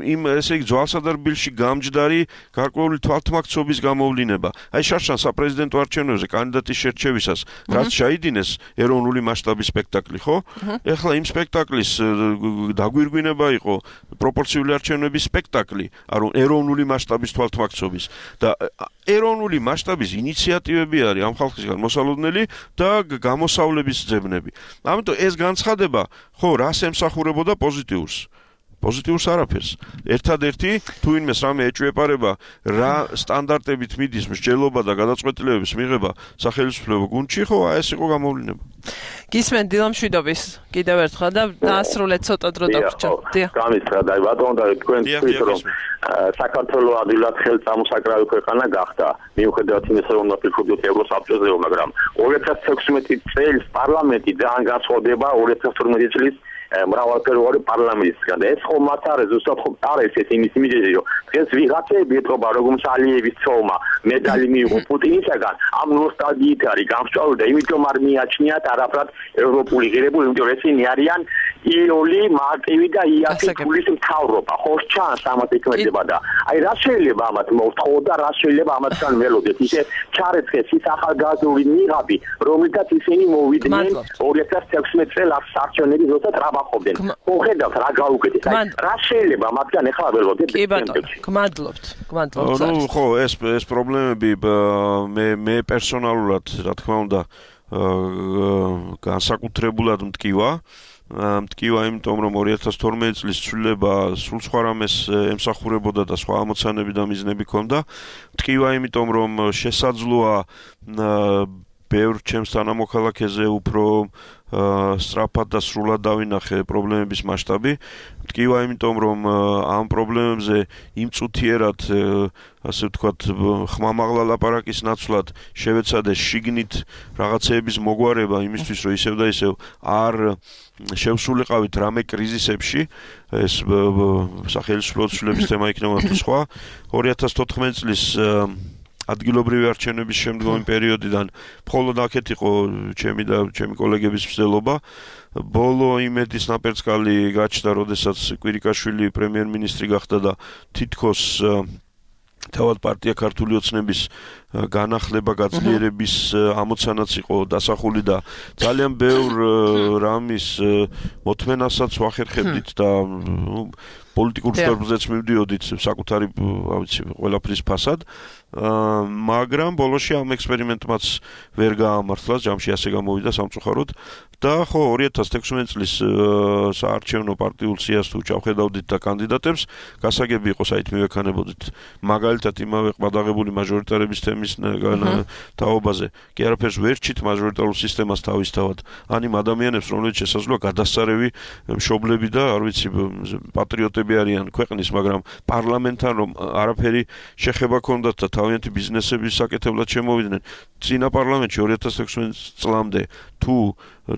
იმ ესე იგი ძვალსა და რბილში გამჯდარი გარკვეული თვალთმაქცობის გამოვლინება აი შარშან საპრეზიდენტო არჩევნებზე კანდიდატის შერჩევისას რაც ჩაიდინეს ეროვნული მასშტაბის სპექტაკლი ხო ეხლა იმ სპექტაკლის დაგვირგვინება იყო პროპორციული არჩევნების სპექტაკლი ანუ ეროვნული მასშტაბის თვალთმაქცობის და ეროვნული მასშტაბის ინიციატივები არის ამ ხალხისგან მოსალოდნელი და გამოსავლების ძებნები ამიტომ ეს განცხადება ხო რას ემსახურებოდა პოზიტიურს პოზიტიურს არაფერს. ერთადერთი თუ ვინმეს რამე ეჭვეპარება რა სტანდარტებით მიდის მსჯელობა და გადაწყვეტილებების მიღება სახელმწიფო გუნდში, ხო, აი ეს იყო გამოვლინება. გისმენთ დილამშვიდობის კიდევ ერთხელ და დაასრულეთ ცოტა დრო დაგვრჩათ. დიახ. გამისრა და ბატონო და თქვენ თქვით რომ საქართველოს ადვილად ხელწამოსაკრავი ქვეყანა გახდა. მიუხედავად იმისა რომ ნაფიქრობთ ევროსაბჭოზე, მაგრამ ორი ათას თექვსმეტი წელს პარლამენტი ძალიან განსხვავდება ორი ათას თორმეტი წლის მრავალფეროვანი პარლამენტისგან და ეს ხომ მათ არის ზუსტად ხომ არის ეს იმის მიზეზი რომ დღეს ვიღაცები ეთქობა როგორც ალიევის ცოლმა მედალი მიიღო პუტინისაგან ამ ნოსტალგიით არის გამსჭვალული და იმიტომ არ მიაჩნიათ არაფრად ევროპული ღირებული იმიტომ რომ ესენი არიან იოლი მარტივი და იაფი გულის მთავრობა ხო ჩანს ამათ ეკმედება და აი რა შეიძლება ამათ მოვთხოვო და რა შეიძლება ამათგან ველოდეთ ისე ჩარეცხეს ის ახალგაზრდული ნიღაბი რომელთაც ისინი მოვიდნენ ორი ათას თექვსმეტი წელს არჩევნების როცა ტრაბახობდნენ ხო ხედავთ რა გაუკეთეს აი რა შეიძლება ამათგან ეხლა ველოდეთ კი ბატონო გმადლობთ გმადლობთ ნუ ხო ეს ეს პრობლემები მე მე პერსონალურად რა თქმა უნდა განსაკუთრებულად მტკივა მტკივა იმიტომ რომ ორი ათას თორმეტი წლის ცვლილება სულ სხვა რამეს ემსახურებოდა და სხვა ამოცანები და მიზნები ჰქონდა მტკივა იმიტომ რომ შესაძლოა ბევრ ჩემს თანამოქალაქეზე უფრო სწრაფად და სრულად დავინახე პრობლემების მასშტაბი. მტკივა იმიტომ რომ ამ პრობლემებზე იმწუთიერად ასე ვთქვათ ხმამაღლა ლაპარაკის ნაცვლად შევეცადე შიგნით რაღაცეების მოგვარება იმისთვის რომ ისევ და ისევ არ შევსულიყავით რამე კრიზისებში ეს სახელმწიფო ცვლილების თემა იქნება თუ სხვა ორი ათას თოთხმეტი წლის ადგილობრივი არჩევნების შემდგომი პერიოდიდან მხოლოდ აქეთ იყო ჩემი და ჩემი კოლეგების მცდელობა ბოლო იმედის ნაპერწკალი გაჩნდა როდესაც კვირიკაშვილი პრემიერ-მინისტრი გახდა და თითქოს თავად პარტია ქართული ოცნების განახლება გაძლიერების ამოცანაც იყო დასახული და ძალიან ბევრ რამის მოთმენასაც ვახერხებდით და პოლიტიკურ შტაბზეც მივდიოდით საკუთარი, რა ვიცი, ყველაფრის ფასად, მაგრამ ბოლოში ამ ექსპერიმენტმაც ვერ გაამართლა, ჯამში ასე გამოვიდა სამწუხაროდ და ხო ორი ათას თექვსმეტი წლის საარჩევნო პარტიულ სიას თუ ჩავხედავდით და კანდიდატებს, გასაგები იყო საით მივექანებოდით მაგალითად იმავე ყბადაღებული მაჟორიტარების თემის თაობაზე, კი არაფერს ვერ ჩით მაჟორიტარულ სისტემას თავისთავად, ან იმ ადამიანებს, რომლებიც შესაძლოა გადასწარევი მშობლები და არ ვიცი პატრიოტები არიან ქვეყნის, მაგრამ პარლამენტთან რომ არაფერი შეხება ჰქონდათ და თავიანთი ბიზნესების საკეთებლად შემოვიდნენ. წინა პარლამენტში ორი ათას თექვსმეტი წლამდე თუ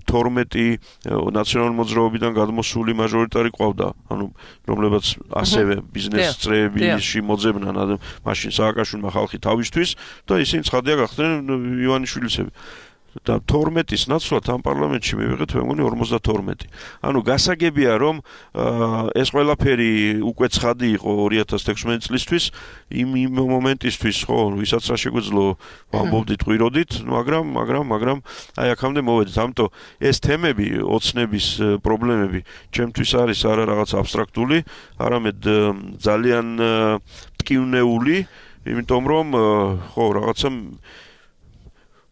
თორმეტი ნაციონალური მოძრაობიდან გადმოსული მაჟორიტარი ყავდა, ანუ რომლებაც ასევე ბიზნეს წრეებში მოძებნან, მაშინ სააკაშვილმა ხალხი თავისთვის და ისინი ცხადია გახდნენ ივანიშვილისები. და თორმეტის ნაცვლად ამ პარლამენტში მივიღეთ მე მგონი ორმოცდათორმეტი. ანუ გასაგებია რომ ეს ყველაფერი უკვე ცხადი იყო ორი ათას თექვსმეტი წლისთვის, იმ იმ მომენტისთვის, ხო, ვისაც რა შეგვეძლო ვამბობდით, ყვიროდით, მაგრამ მაგრამ მაგრამ აი აქამდე მოვედით. ამიტომ ეს თემები, ოცნების პრობლემები ჩემთვის არის არა რაღაც აბსტრაქტული, არამედ ძალიან მტკივნეული, იმიტომ რომ ხო, რაღაცა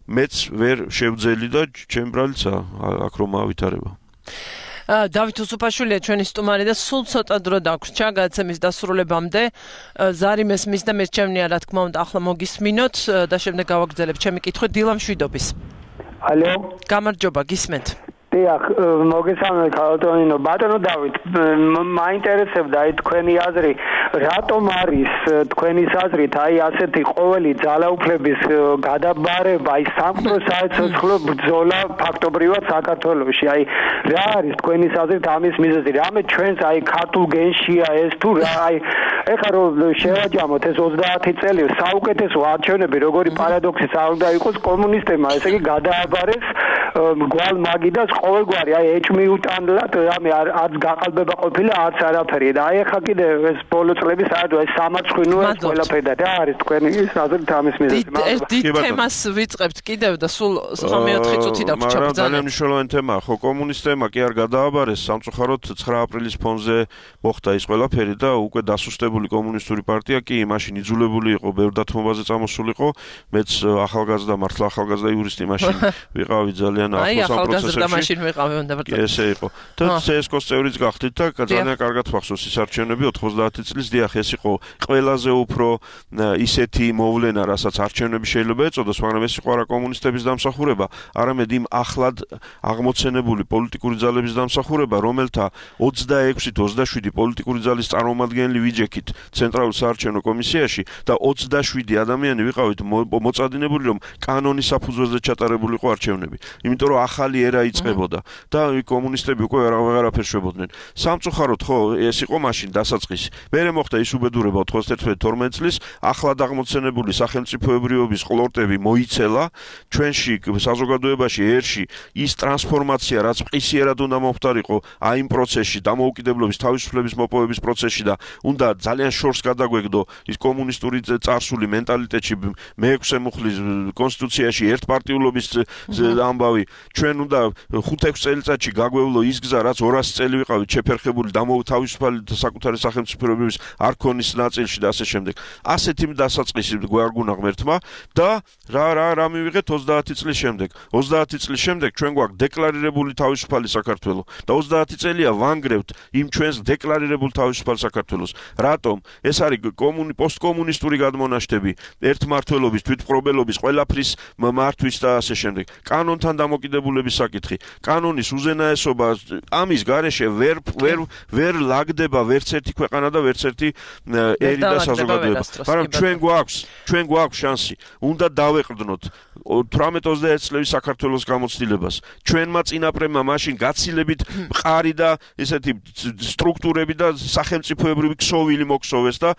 მეც ვერ შევძელი და ჩემ ბრალიცა აქ რომ ავითარება. დავით უსუფაშვილია ჩვენი სტუმარი და სულ ცოტა დრო დაგვრჩა გადაცემის დასრულებამდე. ზარი მესმის და მე ჩემნია რა თქმა უნდა ახლა მოგისმინოთ და შემდეგ გავაგრძელებ ჩემი კითხვით დილა მშვიდობის. ალო. გამარჯობა, გისმენთ. დიახ, მოგესალმებით ქალბატონო. ბატონო დავით, მაინტერესებდა აი თქვენი აზრი, რატომ არის თქვენი აზრით აი ასეთი ყოველი ძალაუფლების გადაბარება, აი სამკვდრო საერთაშორისო ბრძოლა ფაქტობრივად საქართველოში. აი რა არის თქვენი აზრით ამის მიზეზი? რამე ჩვენს აი ქართულ გენშია ეს თუ რა აი ეხლა რომ შევაჯამოთ ეს ოცდაათი წელი საუკეთესო არჩევნები, როგორი პარადოქსიც არ უნდა იყოს კომუნისტებმა, ესე იგი გადააბარეს გვალ მაგიდას ყოველგვარი აი ეჭმიუტანლად რამე არც გაყალბება ყოფილა არც არაფერი და აი ახლა კიდე ეს ბოლო წლების საერთოდ ეს სამარცხვინოა ეს ყველაფერი და რა არის თქვენი აზრით ამის მიზეზი? ერთ თემას ვიწყებთ კიდევ და სულ ხმეოთხი წუთი დაგვრჩა ბრძანა. ძალიან მნიშვნელოვანი თემაა, ხო, კომუნისტებმა კი არ გადააბარეს, სამწუხაროდ ცხრა აპრილის ფონზე მოხდა ის ყველაფერი და უკვე დასუსტებული კომუნისტური პარტია კი მაშინ იძულებული იყო ბევრ დათმობაზე წამოსულიყო, მეც ახალგაზრდა მართლა ახალგაზრდა იურისტი მაშინ ვიყავი ძალიან ახლოს ამ პროცესებში. ესე იყო. და სესკოს წევრიც გახდით და ძალიან კარგად ვახსოვს ის არჩევნები ოთხმოცდაათი წლის დიახ, ეს იყო ყველაზე უფრო ისეთი მოვლენა, რასაც არჩევნები შეიძლება ეწოდოს, მაგრამ ეს იყო არა კომუნისტების დამსახურება, არამედ იმ ახლად აღმოცენებული პოლიტიკური ძალების დამსახურება, რომელთა ოცდაექვსი თუ ოცდაშვიდი პოლიტიკური ძალის წარმომადგენელი ვიჯექით ცენტრალურ საარჩევნო კომისიაში და ოცდაშვიდი ადამიანი ვიყავით მოწადინებული, რომ კანონის საფუძველზე ჩატარებულიყო არჩევნები. იმიტომ რომ ახალი ერა იწყებოდა და კომუნისტები უკვე ვეღარაფერს შვებოდნენ. სამწუხაროდ ხო, ეს იყო მაშინ დასაწყისი. მერე მოხდა ის უბედურება ოთხმოცდაერთი თორმეტი წლის, ახლად აღმოცენებული სახელმწიფოებრიობის ყლორტები მოიცელა ჩვენში საზოგადოებაში ერში ის ტრანსფორმაცია, რაც ყისიერად უნდა მომხდარიყო აი იმ პროცესში, დამოუკიდებლობის თავისუფლების მოპოვების პროცესში და უნდა ძალიან შორს გადაგვეგდო ის კომუნისტური წარსული მენტალიტეტში მეექვსე მუხლის კონსტიტუციაში ერთპარტიულობის ამბავი. ჩვენ უნდა ხუთ-ექვს წელიწადში გაგვევლო ის გზა, რაც ორასი წელი ვიყავით შეფერხებული თავისუფალი საკუთარი სახელმწიფოებრიობის არქონის ნაწილში და ასე შემდეგ. ასეთი დასაწყისი გვარგუნა ღმერთმა და რა რა რა მივიღეთ ოცდაათი წლის შემდეგ. ოცდაათი წლის შემდეგ ჩვენ გვაქვს დეკლარირებული თავისუფალი საქართველო და ოცდაათი წელია ვანგრევთ იმ ჩვენს დეკლარირებულ თავისუფალ საქართველოს. რატომ? ეს არის კომუნი პოსტკომუნისტური გადმონაშთები, ერთმართველობის, თვითმპყრობელობის, ყველაფრის მართვის და ასე შემდეგ. კანონთან დამოკიდებულების საკითხი. კანონის უზენაესობა ამის გარეშე ვერ ვერ ვერ ლაგდება ვერც ერთი ქვეყანა და ვერც ერთი ერი და საზოგადოება. მაგრამ ჩვენ გვაქვს, ჩვენ გვაქვს შანსი. უნდა დავეყრდნოთ თვრამეტ ოცდაერთი წლების საქართველოს გამოცდილებას. ჩვენმა წინაპრებმა მაშინ გაცილებით მყარი და ესეთი სტრუქტურები და სახელმწიფოებრივი ქსოვილი მოგსოვეს და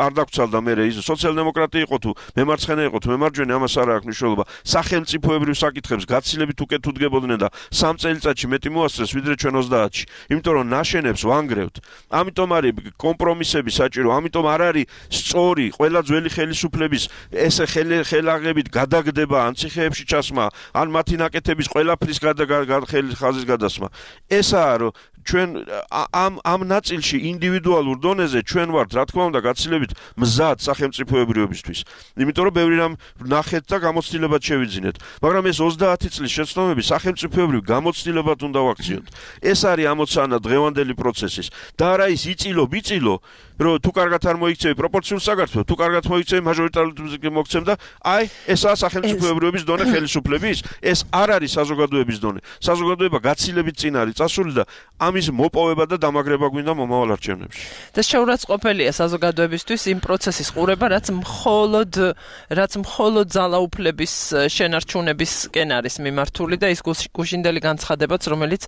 არ დაგცალდა მე ის სოციალ-დემოკრატია იყო თუ მემარცხენე იყო თუ მემარჯვენე, ამას არ აქვს მნიშვნელობა. სახელმწიფოებრივ საკითხებს გაცილებით გაცილებით უკეთ უდგებოდნენ და სამ წელიწადში მეტი მოასწრეს ვიდრე ჩვენ ოცდაათში. იმიტომ რომ ნაშენებს ვანგრევთ. ამიტომ არის კომპრომისები საჭირო, ამიტომ არ არის სწორი ყველა ძველი ხელისუფლების ეს ხელაღებით გადაგდება ან ციხეებში ჩასმა, ან მათი ნაკეთების ყველაფრის ხაზის გადასმა. ესაა რომ ჩვენ ამ ამ ნაწილში ინდივიდუალურ დონეზე ჩვენ ვართ რა თქმა უნდა გაცილებით მზად სახელმწიფოებრიობისთვის. იმიტომ რომ ბევრი რამ ნახეთ და გამოცდილებად შევიძინეთ. მაგრამ ეს ოცდაათი წლის შეცდომები სახელმწიფოებრივ გამოცდილებად უნდა ვაქციოთ. ეს არის ამოცანა დღევანდელი პროცესის. და არა ის იწილო ბიწილო რომ თუ კარგად არ მოიქცევი პროპორციულ საქართველოს, თუ კარგად მოიქცევი მაჟორიტარული მოგცემ და აი ესაა სახელმწიფოებრიობის დონე ხელისუფლების, ეს არ არის საზოგადოების დონე. საზოგადოება გაცილებით წინ არის წასული და ამის მოპოვება და დამაგრება გვინდა მომავალ არჩევნებში. და შეურაცხყოფელია საზოგადოებისთვის იმ პროცესის ყურება, რაც მხოლოდ რაც მხოლოდ ძალაუფლების შენარჩუნებისკენ არის მიმართული და ის გუშინდელი განცხადებაც, რომელიც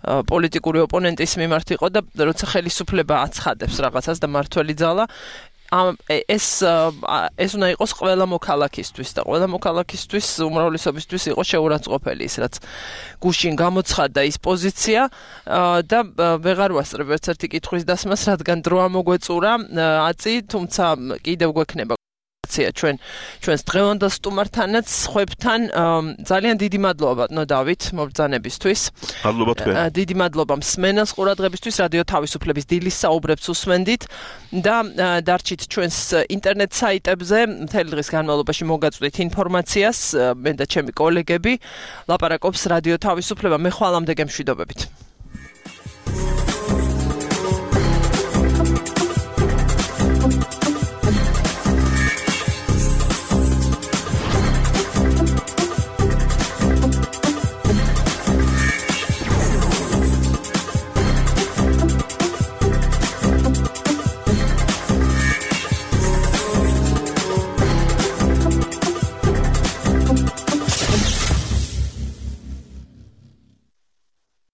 პოლიტიკური ოპონენტის მიმართ იყო და როცა ხელისუფლება აცხადებს რაღაცას და მართველი ძალა ეს ეს უნდა იყოს ყველა მოქალაქისთვის და ყველა მოქალაქისთვის უმრავლესობისთვის იყოს შეურაცხყოფელი ის რაც გუშინ გამოცხადდა ის პოზიცია და ვეღარ ვასწრებ ერთ ერთი კითხვის დასმას რადგან დრო ამოგვეწურა აწი თუმცა კიდევ გვექნება ჩვენ ჩვენს დღევანდელ სტუმართანაც ხვებთან ძალიან დიდი მადლობა ბატონო დავით მობრძანებისთვის. მადლობა თქვენ. დიდი მადლობა მსმენელს ყურადღებისთვის რადიო თავისუფლების დილის საუბრებს უსმენდით და დარჩით ჩვენს ინტერნეტ საიტებზე მთელი დღის განმავლობაში მოგაწვდით ინფორმაციას მე და ჩემი კოლეგები ლაპარაკობს რადიო თავისუფლება მე ხვალამდე გემშვიდობებით.